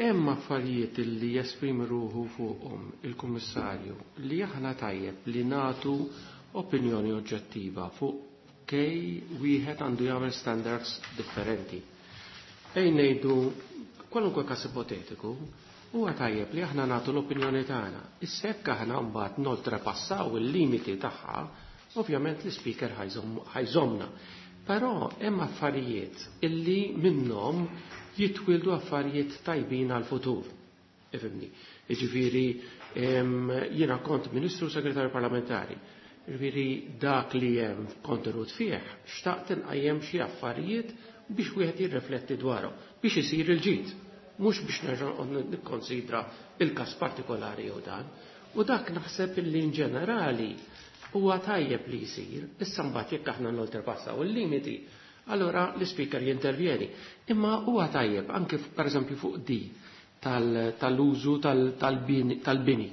hemm affarijiet li jesprimi ruħu fuqhom il-Kummissarju li aħna tajjeb li nagħtu opinjoni oġġettiva fuq kej wieħed għandu jagħmel standards differenti. Ej ngħidu kwalunkwe każ ipotetiku, huwa tajjeb li aħna nagħtu l-opinjoni tagħna. Issa jekk aħna mbagħad noltrepassaw il-limiti tagħha, ovvjament l-ispeaker ħajżomna. Però hemm affarijiet illi minnhom jitwildu affarijiet tajbin għal-futur. Ifhimni. Jiġifieri, jiena kont Ministru Segretarju Parlamentari. Jiġifieri dak li hemm kontenut fih, xtaqt inqajjem xi affarijiet biex wieħed jirrifletti dwarhom, biex isir il-ġid, mhux biex nerġa' nikkonsidra il-każ partikolari jew dan. U dak naħseb illi in ġenerali huwa tajjeb li jsir, issa mbagħad jekk aħna noltrepassaw il-limiti, allora l-ispeaker jintervjeni. Imma huwa tajjeb anke pereżempju fuq di tal-użu tal-bini.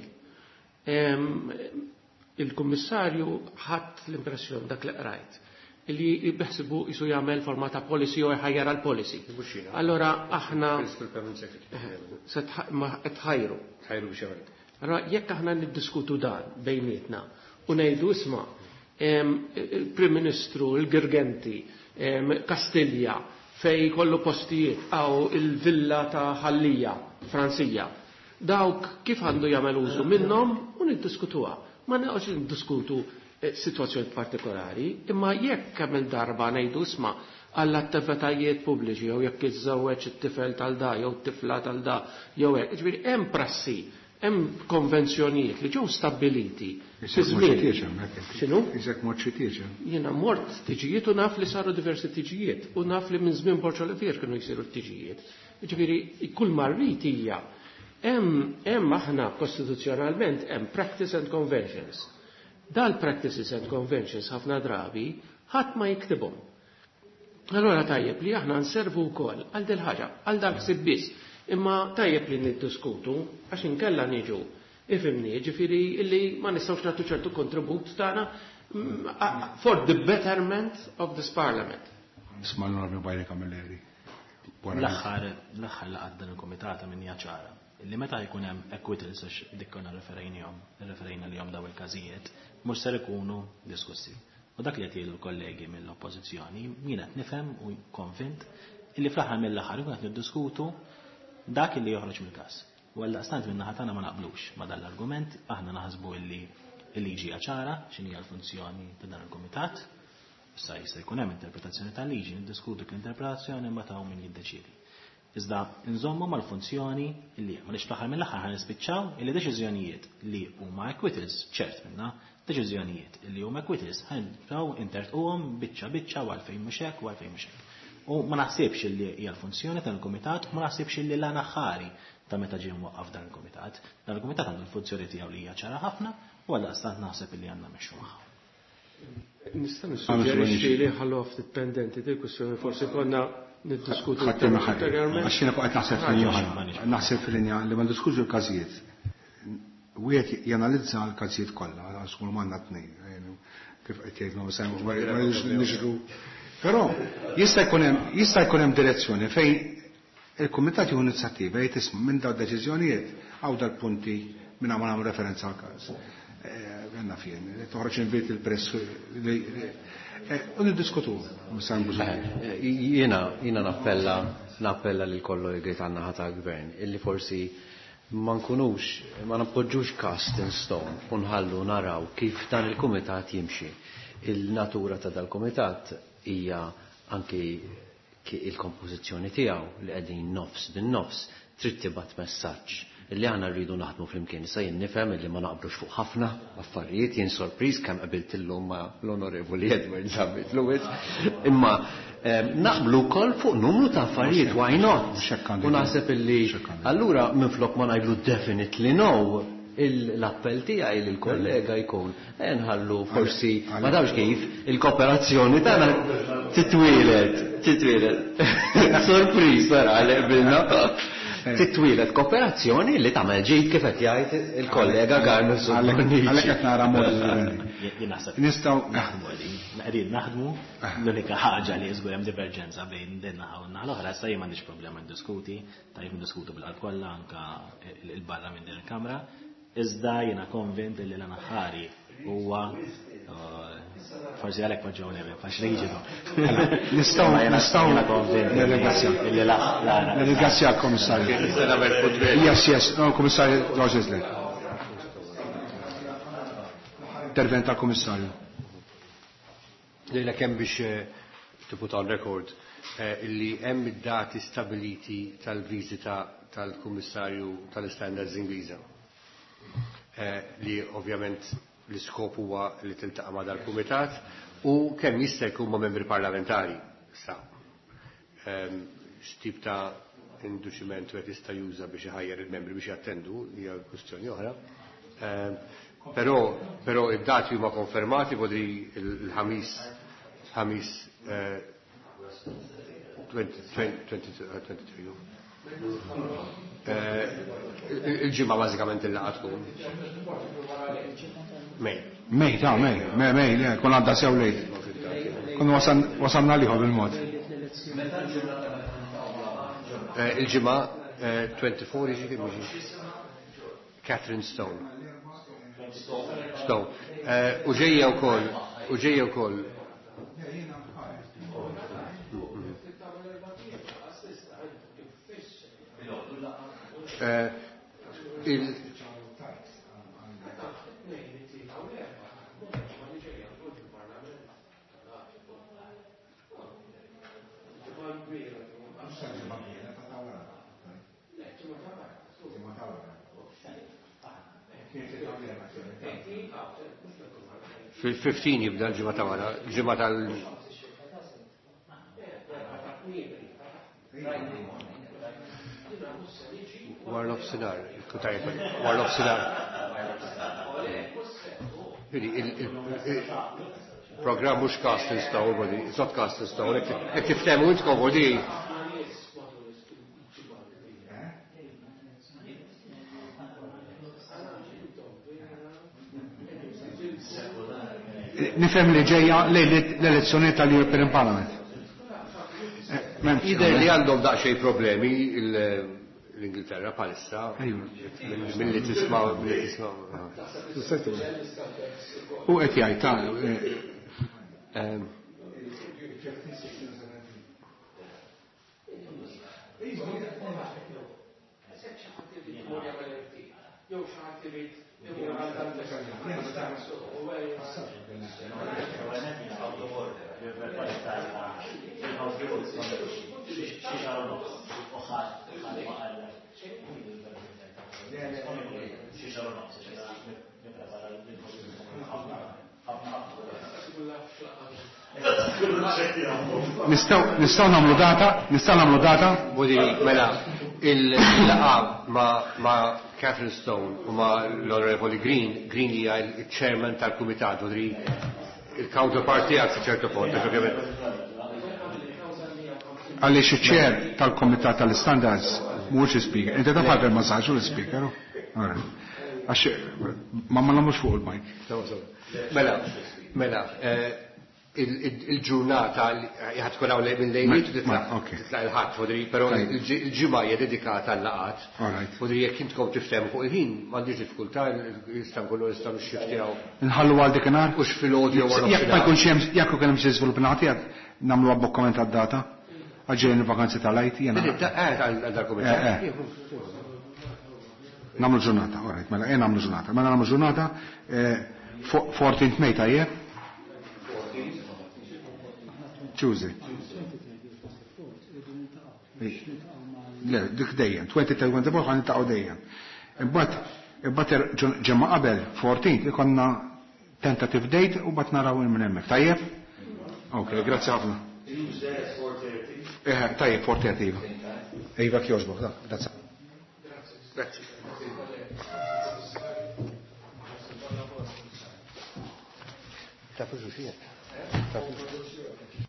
Il-kummissarju ħadd l-impressjoni dak li qrajt li beħsibu jisu jagħmel forma ta' policy jew jħajjar għal policy. Mhux jiena. Allora aħna Principal Permanent Secretary. Se ma qed tħajru. Tħajru biex jagħmel. Allora jekk aħna niddiskutu dan bejnietna u ngħidu isma' il-Prim Ministru, il-Girgenti, Kastilja, fej kollu postijiet għaw il-villa ta' Ħallija, Franzija. Dawk kif għandu jagħmel użu minnhom u niddiskutuha. Ma neqgħodx niddiskutu situazzjoni partikolari, imma jekk kemm il-darba ngħidu isma' għall-attivitajiet pubbliċi jew jekk iżżewweġ it-tifel tal-da jew it-tifla tal-da jew hekk, jiġifieri hemm prassi, hemm konvenzjonijiet li ġew stabbiliti. Isek Fi żmien. mort xi tieġ hemmhekk inti. X'inhu? Isek mort xi tieġ hemm. Jiena mort tiġijiet u naf li saru diversi tiġijiet u naf li minn żmien Borg Olivier kienu jsiru t-tiġijiet. Jiġifieri kull marrit hija hemm aħna kostituzzjonalment hemm practice and conventions. Dal practices and conventions ħafna drabi ħadd ma jiktibhom. Allora tajjeb li aħna nservu wkoll għal dil ħaġa, għal dak ħsieb biss. Imma tajjeb li niddiskutu għax inkella niġu ifimni, ġifieri illi ma nistgħux nagħtu ċertu kontribut tagħna for the betterment of this parliament. Isma' l-Onorevoli Byron Camilleri. Wara. L-aħħar laqgħa dan il-kumitat minn hija ċara. Li meta jkun hemm acquittals, għax dik konna referejnihom, referejna lihom daw il-każijiet, mhux ser ikunu diskussi. U dak li qed jgħidu l-kollegi mill-Oppożizzjoni, jien qed nifhem u konvint illi fl-aħħar mill-aħħar ikun qed niddiskutu dak li joħroġ mill-każ. U għaldaqstant minn naħa tagħna ma naqblux ma dan l-argument, aħna naħsbu illi l-liġi hija ċara x'inhi l-funzjoni ta' dan il-kumitat. Issa jista' jkun hemm interpretazzjoni tal-liġi, niddiskutu l-interpretazzjoni imbagħad hawn min jiddeċiedi. Iżda nżommu mal-funzjoni illi hemm, għaliex fl-aħħar mill-aħħar ħa nispiċċaw illi deċiżjonijiet li huma acquittals, ċert minna, deċiżjonijiet illi huma acquittals ħa nibdew intertquhom biċċa biċċa u għalfejn mhux hekk u għalfejn mhux hekk. U ma naħsibx illi hija l-funzjoni tal-kumitat, ma naħsibx illi l aħħari ta' meta ġie mwaqqaf dan il-kumitat. Dan il-kumitat għandu l-funzjoni tiegħu li hija ċara ħafna u għaldaqstant naħseb illi għandna mmexxu magħha. Nista' nissuġġerixxi li ħallu ftit pendenti di kwistjoni, forsi konna niddiskutu ulterjorment. Għax jiena qed naħseb f'linja oħra. Naħseb f'linja li ma ndiskutu l-każijiet. Wieħed janalizza l-każijiet kollha, għax kull m'għandna tnejn, kif qed jgħidlu ma niġru. Però jista' jkun hemm direzzjoni fejn il-kumitat jieħu inizjattiva jgħid isma' minn dawn deċiżjonijiet hawn dal-punti minn ma nagħmlu referenza għal każ. Għanna fien, toħroġ invit il-press u niddiskutu. Jiena nappella lil kollegi tan-naħa tal-gvern illi forsi ma nkunux, ma nappoġġux cast in stone u nħallu naraw kif dan il-kumitat jimxi. Il-natura ta' dal-kumitat hija anki il-kompożizzjoni tiegħu li qegħdin nofs bin-nofs trid tibgħat messaġġ illi aħna rridu naħdmu flimkien. Issa jien nifhem illi ma naqblux fuq ħafna affarijiet, jien sorpriż kemm qabilt illum ma' l-Onorevoli Edward Zammit Lewis, imma naqblu wkoll fuq numru ta' affarijiet, why not? U naħseb illi allura minflok ma ngħidlu definitely no, l-appell tiegħi lill-kollega jkun nħallu forsi ma tafx kif il-kooperazzjoni tagħna titwielet, titwielet. Sorpriż wara li qbilna. Titwielet kooperazzjoni li tagħmel ġid kif qed jgħid il-kollega Garmus. Għalhekk qed nara mod differenti. Jien naħseb Nistgħu naħdmu qegħdin, qegħdin naħdmu, l-unika ħaġa li żgur hemm diverġenza bejn din naħa u n-naħa l-oħra, issa jien m'għandix problema ndiskuti, tajjeb ndiskutu bil-qalb kollha anke il-barra minn din il-kamra, iżda jiena konvint li l-aħħari huwa forsi għalhekk poġġew level, għax riġidu. Nistgħu nirringrazzja. Nirringrazzja l-Kummissarju. Yes, yes, no, Kummissarju Roger. Intervent tal-Kummissarju. Lejla kemm biex to put on record illi hemm id-dati stabiliti tal-viżita tal-Kummissarju tal-Standards Ingliża. Li ovvjament l-iskop huwa li tiltaqa' ma' dal-kumitat u kemm jista' jkun ma' membri parlamentari. Sa x'tip ta' induċiment wieħed jista' juża biex iħajjar il-membri biex jattendu hija kwistjoni oħra. Però id-dati huma konfermati bodri il-ħamis 23. Il-ġimgħa bażikament il-laqgħa tkun. Mej. Mej, ta' mej, mej, mej, le, kun għadda sew lejt. Kun wasalna liħor bil-mod. Il-ġimgħa 24 jiġi kemm jiġi? Catherine Stone. Stone. U ġejja wkoll, u ġejja wkoll. Fil-15 jibda l-ġimgħa ta' wara, l-ġimgħa tal- War nofsinhar, il-kutajt, war nofsinhar. Il-programm mhux cast in stone, bodi, it's not cast in stone, hekk tiftehmu intkom, bodi. Nifhem li ġejja l-elezzjoni tal-European Parliament. Jidher li għandhom daqsxejn problemi l-Ingilterra bħalissa. Milli tisma' milli tisma'. U qed jgħid ta' Nistgħu nagħmlu data, nistgħu nagħmlu data. Budi, mela, il-laqgħa ma' Catherine Stone u ma' l-Onorevoli Green, Green hija il-chairman tal-kumitat, u il-counterpart tiegħek sa ċertu punt, ovvjament. Għaliex iċ-chair tal-Komitat tal-Standards mhuwiex speaker. Inti taf għadha ma sarx l-speaker. Għax ma ma nagħmlux fuq il-mic. Mela, mela, il-ġurnata ħad tkun hawn minn lejliet u titlaq il-ħadd, fodri, però il-ġimgħa hija dedikata għal-laqat. Fodri jekk intkom tiftehmu fuq il-ħin, m'għandix diffikultà, jista' nkunu nistgħu nixxiftjaw. Inħallu għal dik inhar. Hux filgħodu jew wara. Jekk ma jkunx hemm jekk ikun hemm xi żvilupp nagħti nagħmlu abbokkament għad-data. Għal ġejjin il-vakanzi tal-Għid jiena. Għal dal-kumitat. Nagħmlu ġurnata, all right, mela ejja nagħmlu ġurnata. Mela nagħmlu ġurnata 14 May tajjeb? Tuesday. Le, dik dejjem, 2024 ħan niltaqgħu dejjem. Imbagħad ġimgħa qabel 14 ikonna tentative date u mbagħad naraw minn hemmhekk. Tajjeb? Ok, grazzi ħafna. Eh, tajjeb, 4:30 iva. Iva kjoġbok, da, grazzi. Grazzi. Tafu xi? Tafu.